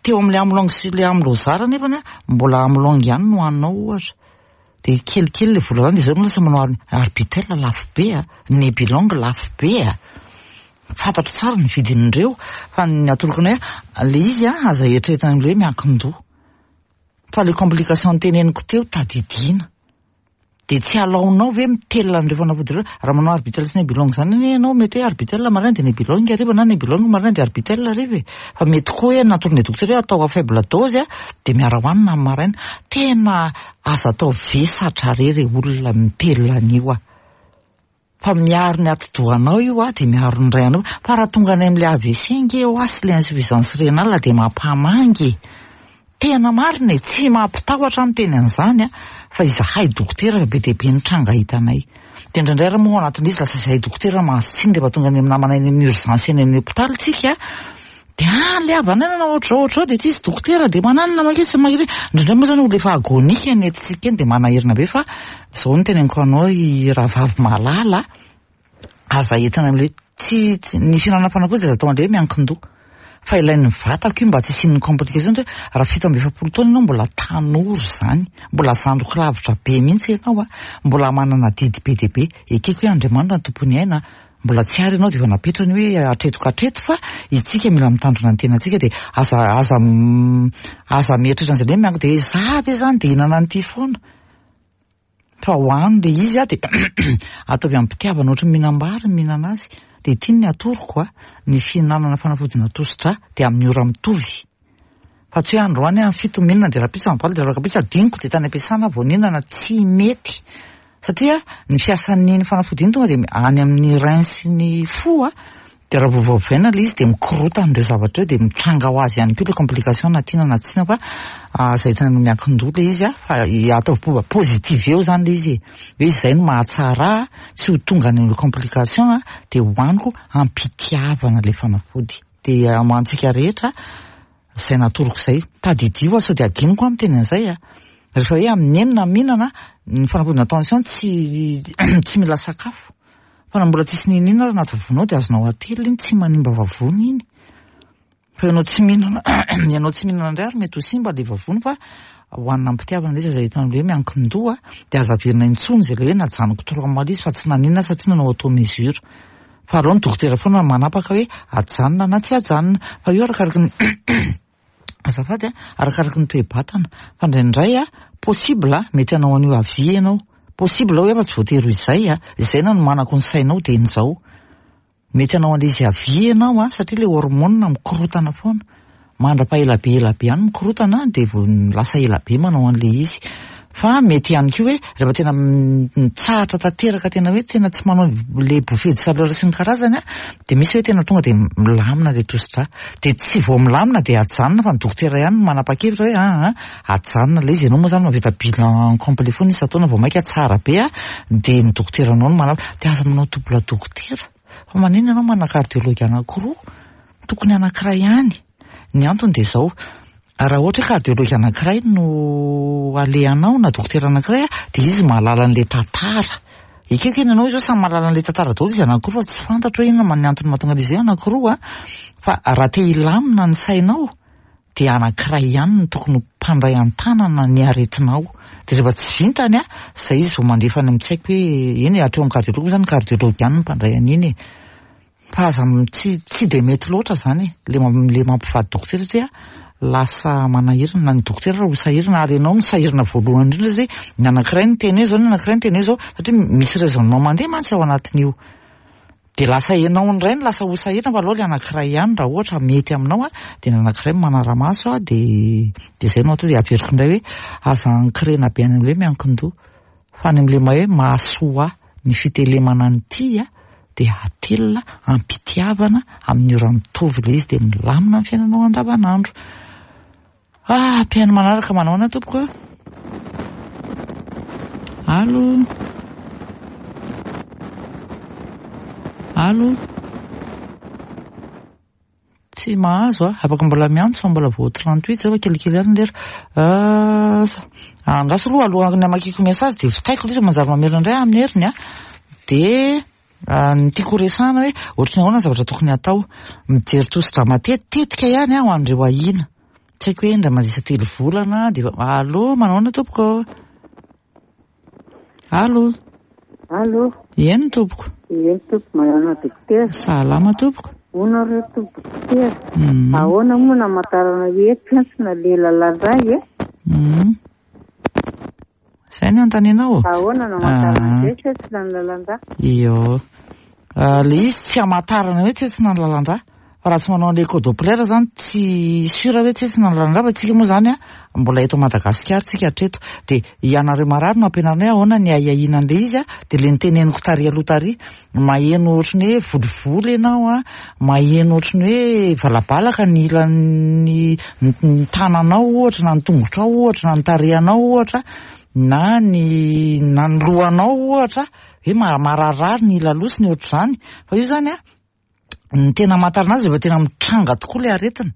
teo amin'ilay amlong sy ilay amlozar nefany an, mbola amlong ihany no hohaninao ohatra. Dia kelikely ilay vola lany dia izao ianao lasa manao arbitel lafo be a, nebilong lafo be a. Fantatro tsara ny vidin'ireo fa ny atoroko anay ilay izy an, aza eritreretina amin'ilay hoe miankin-doha. Fa ilay complication noteneniko teo tadidiana. Dia tsy alaonao ve mitelina an'ireo fanafody ireo? Raha manao arbitel sy nebilong izany anie ianao, mety hoe arbitel maraina dia nebilong hariva na nebilong maraina dia arbitel hariva e. Fa mety koa hoe natoron'ny dokotera hoe atao à faible dose dia miara-hohanina amin'ny maraina. Tena aza atao vesatra re re olona mitelina an'io a. Fa miaro ny atidohanao io a, dia miaro ny ray anao. Fa raha tonga any amin'ilay AVC ange hoa sy ilay insuffisance rénale dia mampamangy e. Tena marina e, tsy mampitahotra aho miteny an'izany a, fa izahay dokotera be dia be ny tranga hitanay. Dia indraindray ary moa ao anatin'izy lasa izahay dokotera mahazo tsiny rehefa tonga any amin'ny namana any amin'ny urgence any amin'ny hopitaly tsika, dia ah le havanay nanao ohatr'izao ohatr'izao dia tsisy dokotera dia mananona mantsy mahery. Indraindray moa izany olona efa agonique ny entintsika eny dia manaherina be fa izao no teneniko anao i rahavavy malala a. Aza entina amin'ilay hoe tsy ny fihinanana fanafody aza atao an'ilay hoe miankin-doha. Fa ilain'ny vatako io mba tsy hisian'ny complication satria raha 47 taona ianao mbola tanora izany, mbola zandriko lavitra be mihitsy ianao a, mbola manana adidy be dia be. Ekeko hoe Andriamanitra no tompon'ny aina, mbola tsy ary ianao dia efa napetrany hoe hatreto ka hatreto fa isika mila mitandrina ny tenantsika dia aza aza aza mieritreritra an'izay hoe miankin-doha dia za ve izany dia hihinana an'ity foana. Fa hohano le izy a de ataovy am-pitiavana ohatry ny mihinam-bary ny mihinana azy. De ity ny atoroko a, ny fihinanana fanafodina tosi-drà de amin'ny ora mitovy. Fa tsy hoe androany aho amin'ny 7 mihinana de rahampitso amin'ny 8 de rahampitso adinoko de tany am-piasana aho vao nihinana, tsy mety. Satria ny fiasan'iny fanafody iny tonga de any amin'ny rein sy ny fo a. Dia raha vao voavaina ilay izy dia mikorotana ireo zavatra ireo dia mitranga ho azy ihany koa ilay complication na tiana na tsy tiana fa aza entina no miankin-doha ilay izy fa ataovy fomba positive eo izany ilay izy e. Hoe izay no mahatsara ahy tsy ho tonga any amin'ilay complication dia hohaniko am-pitiavana ilay fanafody. Dia amantsika rehetra izay natoroko izay. Tadidio fa sao dia adinoko aho miteny an'izay a. Rehefa hoe amin'ny enina mihinana, ny fanafodina tension tsy tsy mila sakafo. Fa na mbola tsisy n'inon'inona ary anaty vavonao dia azonao atelina iny, tsy manimba vavony iny. Fa ianao tsy mihinana, ianao tsy mihinana indray ary mety ho simba ilay vavony fa hohanina am-pitiavana ilay izy, aza entina hoe miankin-doha, dia aza averina intsony izay ilay hoe najanoko trois mois ilay izy fa tsy naninona satria nanao auto-mesure. Fa aleo ny dokotera foana manapaka hoe ajanona na tsy ajanona. Fa io arakaraky ny azafady a, arakaraky ny toe-batana. Fa indraindray a, possible a, mety hanao an'io avis ianao. Possible hoe fa tsy voatery ho izay a, izay nanomanako ny sainao dieny izao. Mety hanao an'ilay izy avis ianao a, satria ilay hormone mikorotana foana. Mandra-paha ela be ela be any mikorotana dia vao lasa ela be manao an'ilay izy. Fa mety ihany koa hoe rehefa tena mitsahatra tanteraka tena hoe tena tsy manao ilay bouffée de chaleur sy ny karazany a, dia misy hoe tena tonga dia milamina ilay tosi-drà. Dia tsy vao milamina dia ajanona fa ny dokotera ihany no manapa-kevitra hoe aa ajanona ilay izy. Ianao moa izany mahavita bilan complet foana isan-taona vao mainka tsara be a, dia ny dokoteranao no manapa-, dia aza manao double dokotera. Fa maninona ianao manana cardiologue anankiroa? Tokony anankiray ihany. Ny antony dia izao, raha ohatra hoe cardiologue anankiray no alehanao na dokotera anankiray dia izy mahalala an'ilay tantara. Ekeko eny ianao izao samy mahalala an'ilay tantara daholo izy anankiroa fa tsy fantatro hoe inona ny antony mahatonga an'izy hoe anankiroa fa raha te hilamina ny sainao dia anankiray ihany no tokony ho mpandray an-tanana ny aretinao. Dia rehefa tsy vintany a, izay izy vao mandefa any amin'ny tsy haiko hoe, eny e, hatreo amin'ny cardiologue moa izany, ny cardiologue ihany no mpandray an'iny e. Fa aza, tsy, tsy dia mety loatra izany e, le, le mampivady dokotera satria lasa manahirana, na ny dokotera ary ho sahirana, ary ianao no sahirana voalohany indrindra satria ny anankiray niteny hoe izao, ny anankiray niteny hoe izao, satria misy raisonnement mandeha mantsy ao anatin'io. Dia lasa ianao indray no lasa ho sahirana fa aleo ilay anankiray ihany raha ohatra mety aminao a, dia ny anankiray no manara-maso a, dia dia izay no atao, dia averiko indray hoe aza ankirena be any amin'ilay hoe miankin-doha fa any amin'ilay hoe mahasoa ahy ny fitelemana an'ity a, dia atelina am-pitiavana amin'ny ora mitovy ilay izy dia milamina ny fiainanao andavanandro. Ah, mpihaino manaraka manahoana tompoko a? Allo? Allo? Tsy mahazo a, afaka mbola miantso fa mbola vao 38 zao fa kelikely ihany lera. Ah, andraso aloha alohan'ny hamakiako message dia vitaiko ilay izy manjary mamerina indray amin'ny heriny a. Dia Ny tiako ho resahana hoe ohatry ny ahoana ny zavatra tokony hatao. Mijery tosi-drà matetitetika ihany aho an'ireo ahiana. Tsy haiko hoe indray mandeha isan-telo volana dia efa Allô, manahoana tompoko? Allô? Allô? Eny tompoko. Eny tompoko, manahoana dokotera? Salama tompoko. Hono re tompoko dokotera, ahoana moa namantarana hoe tsentsina le lalan-dra e? Zay no anontanianao? Ahoana no amantarana an'izay tsentsina ny lalan-drà? Io. Le izy tsy amantarana hoe tsentsina ny lalan-drà. Fa raha tsy manao an'ilay écho-doppler zany tsy sûr hoe tsentsina ny lalan-drà fa tsika moa zany mbola eto Madagasikara tsika hatreto. Dia ianareo marary no ampianarina hoe ahoana ny ahiahiana an'ilay izy dia le niteneniko tary aloha tary. Maheno ohatry ny hoe volivoly ianao an, maheno ohatry ny hoe valabalaka ny ilan'ny ny tananao ohatra na ny tongotrao ohatra na ny tarehinao ohatra na ny na ny lohanao ohatra hoe mararirary ny ila loha sy ny ohatr'izany. Fa io izany an, ny tena amantarana azy rehefa tena mitranga tokoa ilay aretina.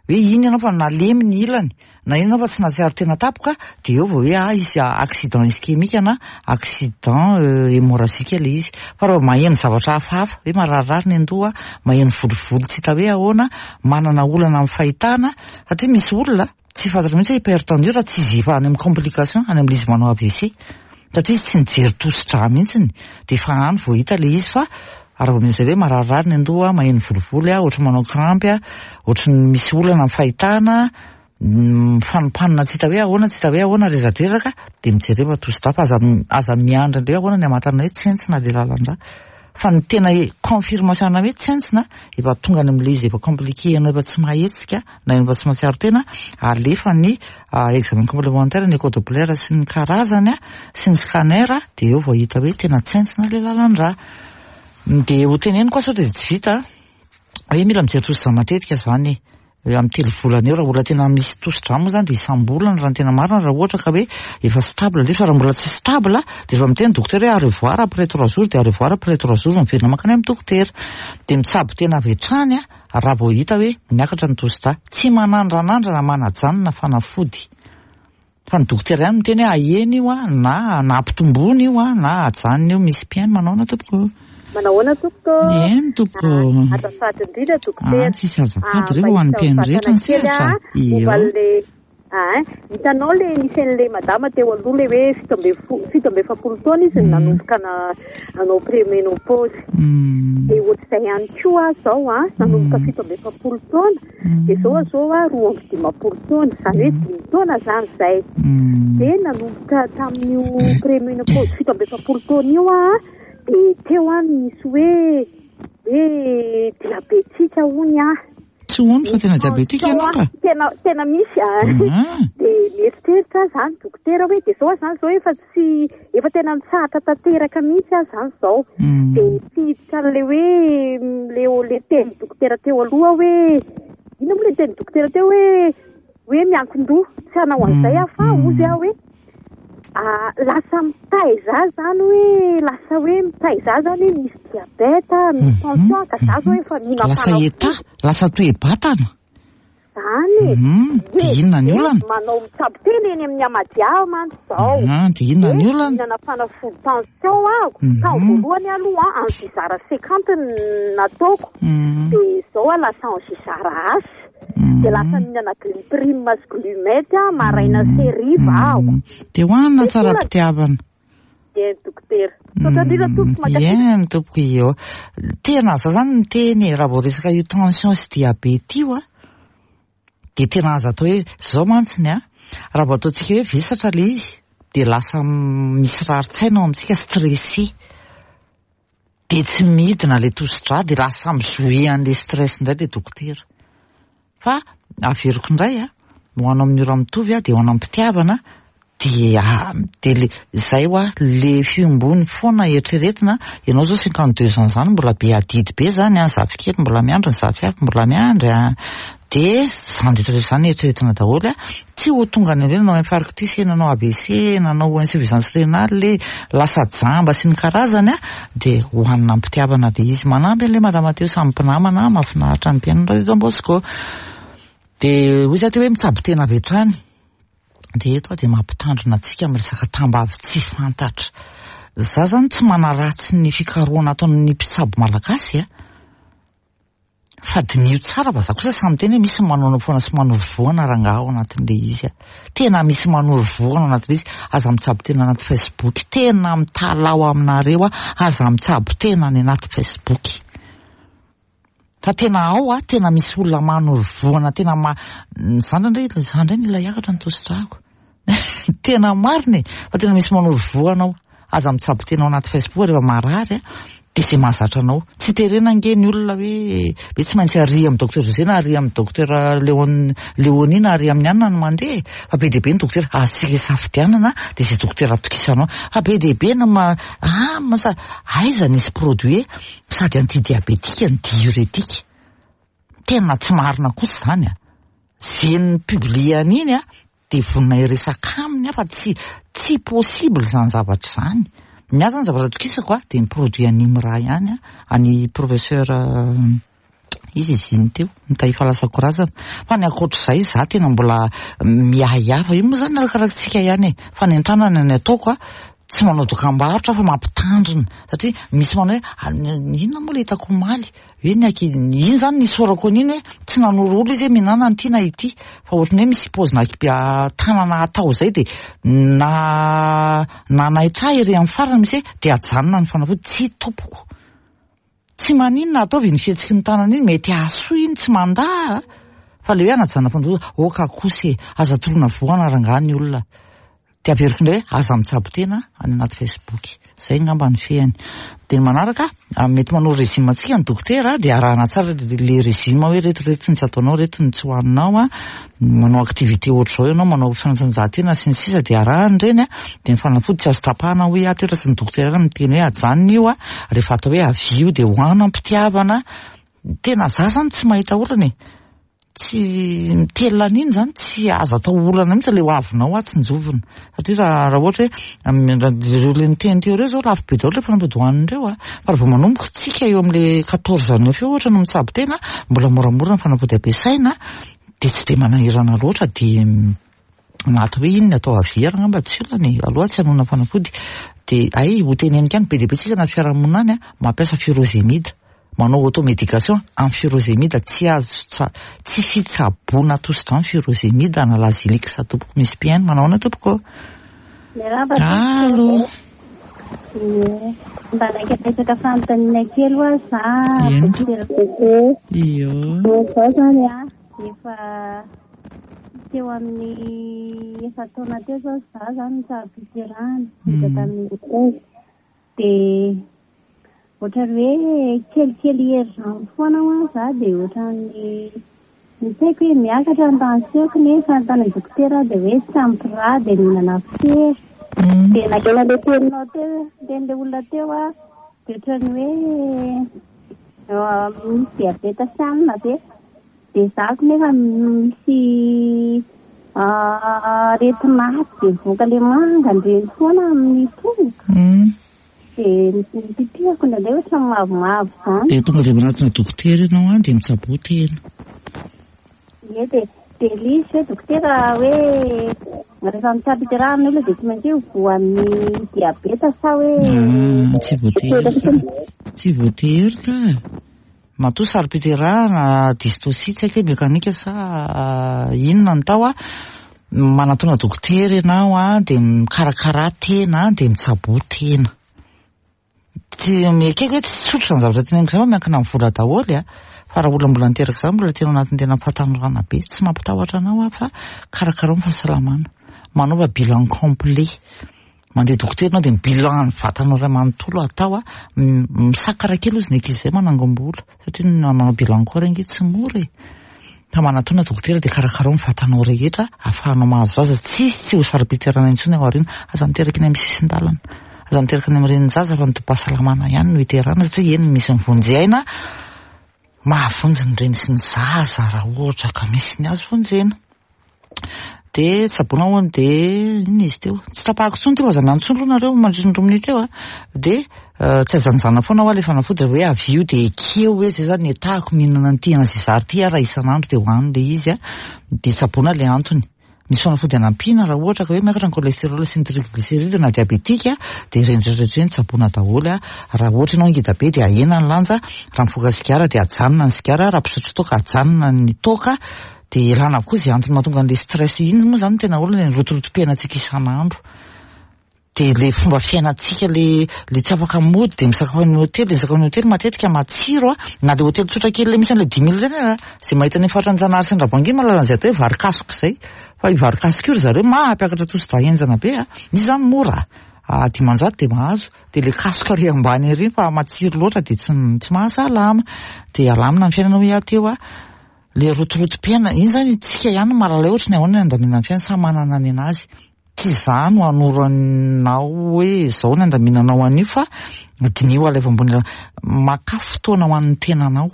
Hoe iny ianao fa nalemy ny ilany, na iny ianao fa tsy nahatsiaro tena tampoka, dia eo vao hoe ah hisy accident ischémique na accident hémorragique ilay izy. Fa raha vao maheno zavatra hafahafa, hoe mararirary ny an-doha, maheno volovolo tsy hita hoe ahoana, manana olana amin'ny fahitana, satria misy olona tsy fantatra mihitsy hoe hypertendu raha tsy izy efa any amin'ny complication, any amin'ilay izy manao AVC. Satria izy tsy nijery tosi-drà mihitsy dia efa any vao hita ilay izy fa raha vao misy hoe mararirary ny an-doha, maheno volivoly aho, ohatry ny manao crampes aho, ohatry ny misy olana amin'ny fahitana, mifanompanina tsy hita hoe ahoana, tsy hita hoe ahoana, reradreraka, dia mijereva tosi-drà fa aza aza miandry indray ahoana ny hamantarana hoe tsentsina ilay lalan-drà. Fa ny tena confirmation ana hoe tsentsina, efa tonga any amin'ilay izy efa compliqué ianao efa tsy mahetsika na efa tsy mahatsiaro tena, alefa ny examen complémentaire, ny écho doppler sy ny karazany sy ny scanner dia eo vao hita hoe tena tsentsina ilay lalan-drà. Dia ho teneniko aho sao dia tsy vita. Hoe mila mijery tosidra matetika izany e. Amin'ny 3 volana eo raha olona tena misy tosidra moa izany dia isam-bolana raha ny tena marina, raha ohatra ka hoe efa stable nefa raha mbola tsy stable dia efa miteny dokotera hoe à revoir après 3 jours dia à revoir après 3 jours miverina mankany amin'ny dokotera. Dia mitsabo tena avy hatrany raha vao hita hoe miakatra ny tosidra. Tsy manandranandrana manajanona fanafody. Fa ny dokotera ihany miteny hoe ahena io na na ampitomboina io na ajanona io. Misy mpihaino manaona tompoko? Manahoana tompoko? Eny tompoko. Azafady indrindra dokotera. Ah, tsisy azafady re ho an'ny mpihaino rehetra ny sehatra. Momba an'le ah, hitanao le nisy an'le madama teo aloha le hoe 47 taona izy no nanomboka nanao préménopause. Dia ohatr'izay ihany koa aho izao an, nanomboka 47 taona. Dia izao aho izao aho 52 taona, izany hoe 5 taona izany izay. Dia nanomboka tamin'io préménopause 47 taona io aho, dia teo aho nisy hoe hoe diabetika hono aho. Tsy hono fa tena diabetika ianao ka? Tena, tena misy ah. Dia mieritreritra aho izany dokotera hoe dia izao aho izany izao efa tsy, efa tena nitsahatra tanteraka mihitsy aho izany izao. Dia tsy hiditra an'ilay hoe le, le tenin'ny dokotera teo aloha hoe inona moa ilay tenin'ny dokotera teo hoe hoe miankin-doha, tsy hanao an'izay aho fa hozy aho hoe lasa mitaiza ahy izany hoe lasa hoe mitaiza ahy izany hoe misy diabète, misy tension ka za zao efa mihinam-panafody. Lasa état, lasa toe-batana. Izany e. Dia inona ny olana? Manao mitsabo tena eny amin'ny Amadia aho mantsy izao. Dia inona ny olana? Mihinana fanafody tension aho. Tamin'ny voalohany aloha Anzizara 50 no nataoko. Dia izao aho lasa Anzizara H. Dia lasa mihinana Glyprime sy Glumet aho maraina sy hariva aho. Dia hohanina tsara am-pitiavana. Eny dokotera. Misaotra indrindra tompoko, mankasitraka. Eny tompoko io. Tena za zany miteny e, raha vao resaka io tension sy diabète io a, dia tena aza atao hoe zao mantsiny a, raha vao ataontsika hoe vesatra le izy dia lasa misy rarin-tsaina ao amintsika, stressé. Dia tsy midina ilay tosi-drà dia lasa mi-jouer an'ilay stress indray ilay dokotera. Fa averiko indray a, ho anao amin'ny ora mitovy a, dia ho anao am-pitiavana, dia dia le izay hoa le fiombony foana eritreretina, ianao izao 52 ans izany mbola be adidy be izany an, zafikely mbola miandry, ny zafiafy mbola miandry an, dia izany rehetra rehetra izany eritreretina daholo a, tsy ho tonga any amin'ireny nanao infarctus e, nanao AVC e, nanao insuffisance rénale e, lasa jamba sy ny karazany a, dia hohanina am-pitiavana dia izy manampy an'ilay madama teo samy mpinamana, mahafinaritra ny mpihaino ny radio Don Bosco. Dia hoy za teo hoe mitsabo tena avy hatrany. Dia eto aho dia mampitandrina antsika amin'ny resaka tambavy tsy fantatra. Za zany tsy manaratsy ny fikarohana ataon'ny mpitsabo malagasy a. Fa diniho tsara fa za kosa samy miteny hoe misy manaonao foana sy manoro vohana rangaha ao anatin'ilay izy a. Tena misy manoro vohana ao anatin'ilay izy. Aza mitsabo tena anaty Facebook. Tena mitalaho aminareo aho, aza mitsabo tena any anaty Facebook. Fa tena ao a, tena misy olona manoro vohana, tena ma-, za ndray, za ndray mila hiakatra ny tosi-drako. Tena marina e, fa tena misy manoro vohana ao. Aza mitsabo tena ao anaty Facebook rehefa marary a, dia izay mahazatra anao. Tsy terena ange ny olona hoe hoe tsy maintsy ary amin'ny docteur José na ary amin'ny docteur Léon, Léonie na ary amin'ny anona no mandeha e. Fa be dia be ny docteur azontsika isafidianana dia izay docteur atokisanao. Fa be dia be ny ma-, ah, masa, aiza nisy produit sady anti-diabétique no diurétique. Tena tsy marina kosa izany a. Izay ni-publier an'iny a, dia vonona hiresaka aminy aho fa tsy tsy possible izany zavatra izany. Ny ahy izany zavatra atokisako a, dia ny produit an'i Imra ihany a, an'i professeur izy izy iny teo, ny efa lasa korazana. Fa ny ankoatr'izay za tena mbola miahiahy fa io moa izany arakarak'tsika ihany e. Fanentanana ny ataoko a, tsy manao dokambarotra aho fa mampitandrina satria misy manao hoe inona moa ilay hitako omaly? Hoe ny ankizy, iny zany nisorako an'iny hoe tsy nanoro olona izy hoe mihinana an'ity na ity fa ohatran'ny hoe misy paozina tanana atao izay dia na nanaitra ahy ery amin'ny farany misy hoe dia ajanona ny fanafody, tsia tompoko, tsy maninona ataovy iny fihetsiky ny tanana iny, mety hahasoa iny tsy mandà a, fa ilay hoe anajanona fanafody, ok kosa e, aza toroana voana rangahy ny olona. Dia averiko indray hoe aza mitsabo tena any anaty Facebook. Izay angamba ny fehiny. Dia ny manaraka, mety manoro régime antsika ny dokotera, dia arahana tsara le régime hoe ireto ireto ny tsy ataonao, ireto ny tsy hohaninao, manao activité ohatr'izao ianao, manao fanatanjahantena sy ny sisa dia arahana ireny. Dia ny fanafody tsy azo tapahana hoy aho teo raha tsy ny dokotera ihany no miteny hoe ajanona io, rehefa atao hoe avia io dia hohano am-pitiavana. Tena za zany tsy mahita olana e. Tsy mitelina an'iny zany tsy azo atao olana mihitsy le ho avinao aho tsinjovina. Satria raha raha ohatra hoe ireo le niteny teo ireo zao lafo be daholo le fanafody hohanin'ireo a. Fa raha vao manomboka tsika eo amin'le 14 neuf eo ohatra no mitsabo tena, mbola moramora ny fanafody ampiasaina dia tsy dia manahirana loatra dia na atao hoe iny ny atao aviera angamba tsy olana e, aloha tsy hanonona fanafody. Dia hay ho teneniko ihany be dia be tsika anaty fiarahamonina any a, mampiasa furosemide. Manao automédication amin'ny furosemide tsy azo tsa tsy fitsaboana tosi-drà ny furosemide na Lasilix tompoko misy mpihaino manao ahoana tompoko ô? Miarahaba Allo. Ie. Mba naika apetraka fanontaniana kely hoa za Eny dokotera tompoko. Io. Zao zany a efa teo amin'ny efa-taona teo zao za zany nitsabo-piterahana vita tamin'ny treize Dia ohatran'ny hoe kelikely herinandro foana hoa za dia ohatran'ny ny tsy haiko hoe miakatra ny tension-ko nefa ny tany amin'ny dokotera aho dia hoe tsy ampy rà dia mihinana fer. Dia naheno an'ilay teninao teo, tenin'ilay olona teo aho dia ohatran'ny hoe misy diabeta sy anona ve? Dia za ko nefa misy aretin'aty dia mivoaka le manga ndreny foana amin'ny tongotra. Dia ny pipihako indraindray ohatran'ny mavomavo zany. Dia tonga dia manatona dokotera ianao an, dia mitsaboa tena. Ie dia dia ilay izy hoe dokotera hoe rehefa mitsam-piterahana ny olona dia tsy maintsy hoe voan'ny diabeta sa hoe. Ah, tsy voatery ka. Tsy voatery ka. Matoa saro-piterahana, dystocie tsy haiko hoe mekanika sa inona no tao a, manatona dokotera ianao a, dia mikarakara tena dia mitsaboa tena. Tsy ekeko hoe tsy tsotra izany zavatra teneniko izany fa miankina amin'ny vola daholo a, fa raha olona mbola niteraka izany mbola tena ao anatin'ny tena fahatanorana be, tsy mampitahotra anao aho fa karakarao ny fahasalamana, manaova bilan complet. Mandeha dokotera ianao dia ny bilan ny vatanao iray manontolo atao a, misakara kely ozy ny ankizy izay manangom-bola satria ny manao bilan corps ange tsy mora e. Fa manatona dokotera dia karakarao ny vatanao rehetra ahafahanao mahazo zaza, tsisy tsy ho saro-piterahana intsony ao aoriana, aza miteraka eny amin'ny sisin-dalana, aza miteraka any amin'ny renin-jaza fa ny tobim-pahasalamana ihany no iterahana satria eny misy ny vonjy aina mahavonjy ny reny sy ny zaza raha ohatra ka misy ny azo vonjena. Dia tsaboina hono dia inona izy teo? Tsy tapahako intsony ity fa aza miantso intsony aloha nareo mandritra ny roa minitra eo a. Dia tsy ajanojana foana hoa ilay fanafody raha hoe avy io dia ekeo hoe izay zany ny etahako mihinana an'ity anzizary ity aho raha isan'andro dia hohano ilay izy a. Dia tsaboina ilay antony. Misy fanafody anampiana raha ohatra ka hoe miakatra ny cholestérol sy ny triglycéride na diabetika dia ireny rehetra rehetra ireny tsaboina daholo a. Raha ohatra ianao ngeda be dia ahena ny lanja, raha mifoka sigara dia ajanona ny sigara, raha mpisotro toaka ajanona ny toaka. Dia ialana avokoa izay antony mahatonga an'ilay stress iny moa izany no tena olana e, ny rotorotom-piainantsika isan'andro. Dia ilay fomba fiainantsika ilay ilay tsy afaka mody dia misakafo any amin'ny hotely, dia misakafo any amin'ny hotely matetika matsiro an, na ilay hotely tsotra kely ilay misy an'ilay dimy mille ireny ary an, izay mahita ny faritra Anjanahary sy Andravoahangy iny mahalala an'izay atao hoe vary kasoka izay. Fa io vary kasoka io ry zareo mampiakatra tosi-drà henjana be an, izy izany mora, 500 dia mahazo. Dia ilay kasoka ary ambany ery fa matsiro loatra dia tsy tsy mahasalama. Dia alamina ny fiainana hoy aho teo an. Le rotorotom-piainana, iny zany tsika ihany no mahalala hoe ohatry ny ahoana ny andaminana ny fiainana, samy manana ny anazy. Tsy za no hanoro anao hoe zao ny andaminanao an'io fa diniho alaivo ambony alaivo, makà fotoana ho an'ny tenanao.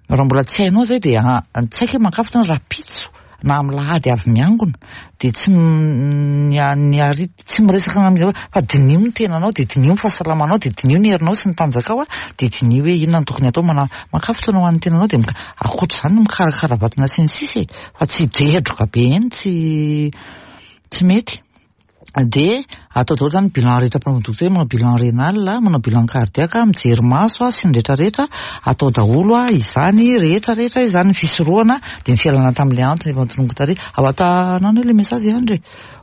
Raha mbola tsy hainao zay dia tsy haiko hoe makà fotoana rahampitso na amin'ny lahady avy miangona dia tsy ny ny ary tsy miresaka amin'iza fa diniho ny tenanao dia diniho ny fahasalamanao dia diniho ny herinao sy ny tanjakao a dia diniho hoe inona no tokony atao mana maka fotoana ho an'ny tenanao dia mika ankoatra izany ny mikarakara vatana sy ny sisa e fa tsy hidredroka be eny tsy tsy mety. Dia atao daholo izany bilan rehetra mpanao dokotera, manao bilan renal, manao bilan cardiaque, mijery maso sy ny rehetra rehetra, atao daholo izany rehetra rehetra izany, ny fisorohana dia ny fialana tamin'ilay antony efa notononiko tary. Ao atanana ilay message i Andry e,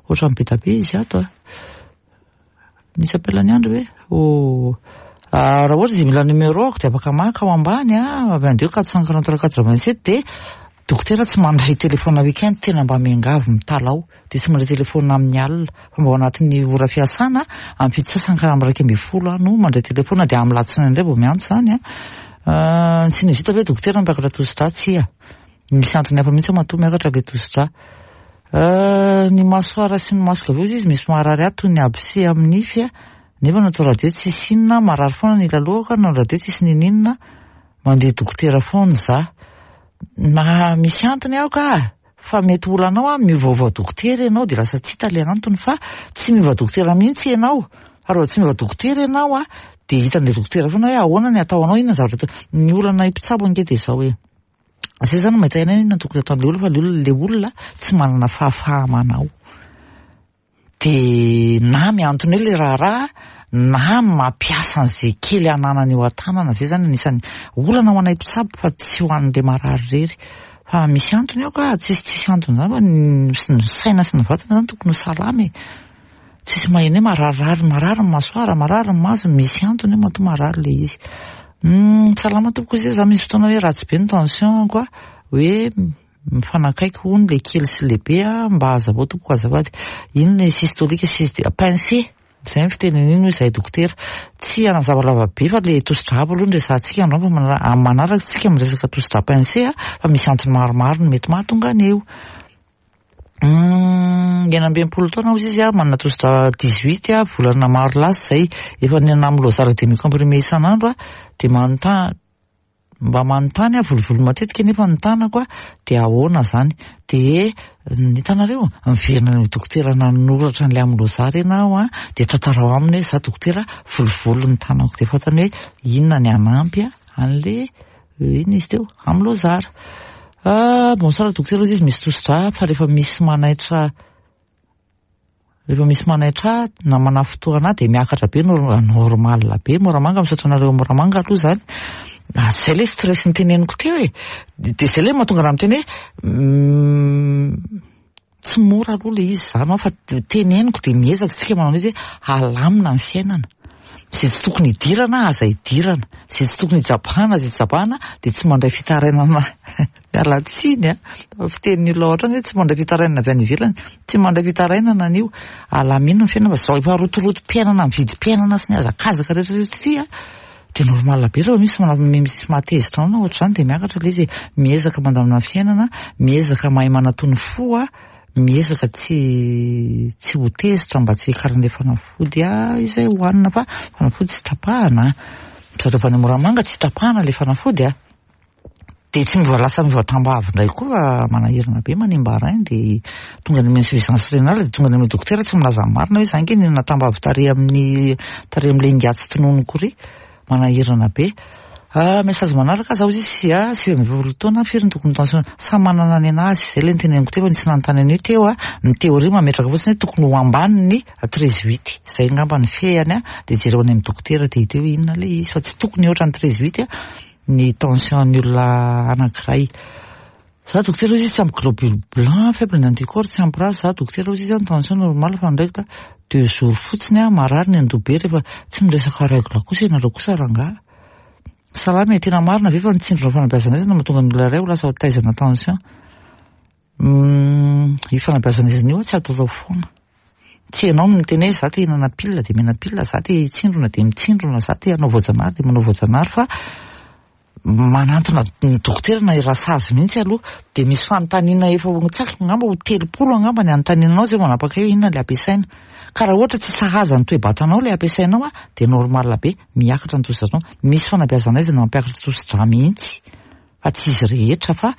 ohatran'ny be dia be izy ato a. Nisy appel an'i Andry ve? Oh. Raha ohatra izy mila numéro-ko dia afaka maka ao ambany a, 22 443 87 dia dokotera tsy mandray téléphone week-end, tena mba miangavy mitalaho. dia tsy mandray telefaonina amin'ny alina fa mba ao anatin'ny ora fiasana amin'ny fito sasany ka amin'ny 11 aho no mandray telefaonina dia amin'ny latsinainy indray vao miantso izany a. Ah, ny sinusite ve dokotera miakatra tosi-drà? Tsia. Misy antony hafa mihitsy ao matoa miakatra ilay tosi-drà. Ah, ny masoara sy ny masoko avy eo izy misy maharary ahy toy ny abcès amin'ny nify nefa natao radio tsisy inona, marary foana ny ila lohako, nanao radio tsisy nininona. Mandeha dokotera foana za. Na misy antony aho ka! Fa mety olanao an, miovaova dokotera ianao dia lasa tsy hita ilay antony fa tsy miova dokotera mihitsy ianao. Fa raha tsy miova dokotera ianao an, dia hitan'ilay dokotera foana hoe ahoana ny atao anao, inona ny zavatra atao. Ny olana mpitsabo ange dia izao hoe, izay izany no mahita ihany hoe inona no tokony ataon'ilay olona fa ilay olona tsy manana fahafaha-manao. Dia na mihantona eo ilay raharaha na mampiasa an'izay kely ananany eo an-tanana. Izay izany anisan'ny olana ho anay mpitsabo fa tsy ho an'ilay marary irery. Fa misy antony ao ka, tsisy tsisy antony izany fa ny saina sy ny vatana izany tokony ho salama e. Tsisy maheno hoe mararirary, marary ny masoara, marary ny maso, misy antony io matoa marary ilay izy. Salama tompoko izy, za misy fotoana hoe ratsy be ny tension-ko, hoe Mifanakaiky hono le kely sy lehibe a, mba hazavao tompoko azafady, inona ny systolique sy pincé, zay ny fiteny an'iny hoy izahay dokotera, tsy hanazava lava be fa le tosi-drà aloha no resahantsika androany fa amin'ny manaraka tsika miresaka tosi-drà pincé a, fa misy antony maromaro no mety mahatonga an'io. 66 taona hozy izy a, manana tosi-drà 18 a, volana maro lasa izay, efa nihinana amlozara demi comprimé isan'andro a, dia manontany Mba manontany aho volovolo matetika nefa ny tanako dia ahoana zany? Dia hitanareo miverina any amin'ny dokotera nanoratra an'ilay amlozara ianao an, dia tantarao aminy hoe za dokotera volovolo ny tanako dia fantany hoe inona ny hanampy an'le inona izy teo amlozara. Ah, bonsoir dokotera hozy izy misy tosi-drà fa rehefa misy manaitra Rehefa misy manaitra ahy na manafintohina ahy dia miakatra be normal be Moramanga, misaotra anareo Moramanga aloha izany. Ah, zay le stress niteneniko teo e. Dia zay le mahatonga anah miteny hoe tsy mora aloha le izy izany fa teneniko dia miezaka isika manao an'izy hoe halamina ny fiainana. Izay tsy tokony hidirana aza hidirana, izay tsy tokony hijabahana aza hijabahana dia tsy mandray fitarainana. Miala tsiny a! Fitenin'ny olona ao an-trano hoe tsy mandray fitarainana avy any ivelany. Tsy mandray fitarainana an'io. Alamino ny fiainana fa izao efa rotorotom-piainana amin'ny vidim-piainana sy ny hazakazaka rehetra rehetra ity a! Dia normal be rehefa misy misy mahatezitra anao na ohatr'izany dia miakatra ilay izy e. Miezaka mandamina fiainana, miezaka mahay manatony fo a, miezaka tsy tsy ho tezitra mba tsy hiakaran'ilay fanafody a izay hohanina fa fanafody tsy tapahana a. Misaotra avy any Moramanga tsy tapahana ilay fanafody a. Dia tsy miova lasa miova tambavy indray koa fa manahirana be manimba rein dia tonga any amin'ny insuffisance rénale dia tonga any amin'ny dokotera tsy milaza ny marina hoe za ange nihinana tambavy tary amin'ny tary amin'ilay ingahy tsy tononiko ry manahirana be. Ah, message manaraka za hozy izy ah, 49 taona firy ny tokony tension samy manana ny anazy zay le niteneniko teo fa nisy nanontany an'io teo ah ny théorie mametraka fotsiny hoe tokony ho ambany ny 13 huit zay angamba ny fehany ah dia jereo any amin'ny dokotera dia hita eo inona le izy fa tsy tokony hihoatra ny 13 huit ah ny tension ny olona anankiray. Za dokotera hozy izy tsy ampy globule blanc, faible ny anticorps, tsy ampy race, za dokotera hozy izy ny tension normal fa ny règle deux jours fotsiny aho marary ny andoha be rehefa tsy miresaka règle kosa ianareo kosa rangaha. Salama e, tena marina ve fa ny tsindrona fanabeazana aiza no mahatonga ny olona iray ho lasa taizana tension? Io fanabeazana aizana io tsy ataotao foana. Tsy ianao no miteny hoe za te hihinana pilina dia mihinana pilina, za te hitsindrona dia mitsindrona, za te hanao voajanahary dia manao voajanahary fa manantona ny dokotera na i rasazy mihitsy aloha. Dia misy fanontaniana efa ho tsy haiko angamba ho 30 angamba ny anontaniana anao izay vao manapaka hoe inona ilay ampiasaina. Ka raha ohatra tsy sahaza ny toe-batanao ilay ampiasainao dia normal be miakatra ny tosidranao. Misy fanabeazana aizana mampiakatra tosidra mihitsy fa tsy izy rehetra fa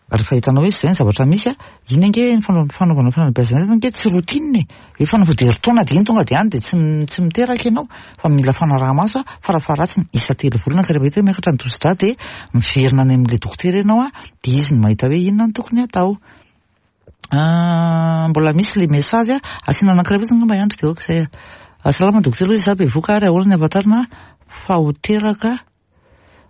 Rehefa hitanao hoe izay ny zavatra misy a, iny ange ny fanaovana fanabeazana izany ange tsy routine e. Hoe fanafody herintaona dia iny tonga dia any dia tsy tsy miteraka ianao fa mila fanaraha-maso a, farafaharatsiny isan-telo volana ka rehefa hita hoe miakatra ny tosi-drà dia miverina any amin'ilay dokotera ianao a, dia izy no mahita hoe inona no tokony hatao. Mbola misy ilay message a, asiana anankiray fotsiny angamba i Andry dia ok izay a. Salama dokotera hoy izy za bevoka ary ahoana ny ahafantarana fa ho teraka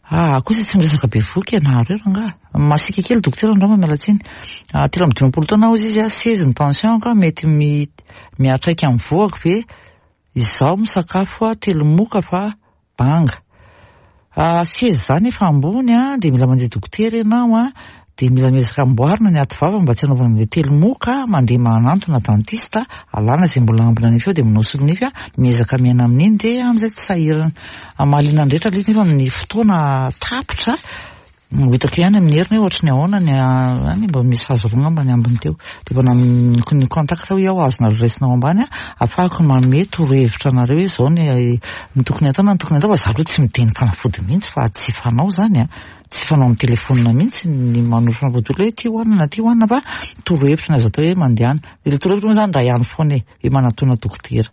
Ah, kosa tsy miresaka bevohoka ianareo rangaha. Masiaka kely dokotera angamba miala tsiny. Ah, 53 taona hozy izy, ah, seize ny tension ka mety mi miatraika amin'ny vohako ve? Izaho misakafo ah, telo moka fa banga. Ah, seize zany efa ambony ah, dia mila mandeha dokotera ianao ah, dia mila miezaka amboarina ny aty vava mba tsy hanaovana an'ilay telo moka, mandeha manantona dentiste, alana izay mbola ambina nify eo dia manao solonify, miezaka miaina amin'iny dia amin'izay tsy sahirana. Mahaliana ny rehetra ilay izy nefa ny fotoana tapitra. Ho hitako ihany amin'ny heriny hoe ohatry ny ahoana ny any, mba misy hazo roa angamba ny ambiny teo. Dia mba ny contact hoy aho azonareo raisina ao ambany ahafahako manome torohevitra anareo hoe izao ny ny tokony hatao na ny tokony hatao fa za aloha tsy miteny fanafody mihitsy fa tsy fanao izany an. Tsy fanao amin'ny telefaonina mihitsy ny manoro fanafody olona hoe ity hohanina na ity hohanina fa torohevitra ny azo atao hoe mandehana. Dia ilay torohevitra moa izany iray ihany foana e. Hoe manatona dokotera.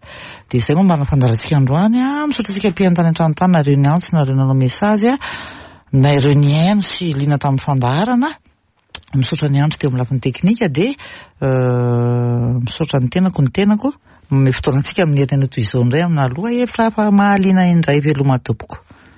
Dia izay moa mba nafandarantsika androany an. Misaotra antsika mpihaino tany an-trano tany nareo niantso, nareo nanao message, nareo nihaino sy liana tamin'ny fandaharana. Misaotra ny andro teo amin'ny lafiny teknika dia misaotra ny tenako ny tenako. Manome fotoana antsika amin'ny herinandro toy izao indray amina lohahevitra hafa mahaliana indray. Veloma tompoko.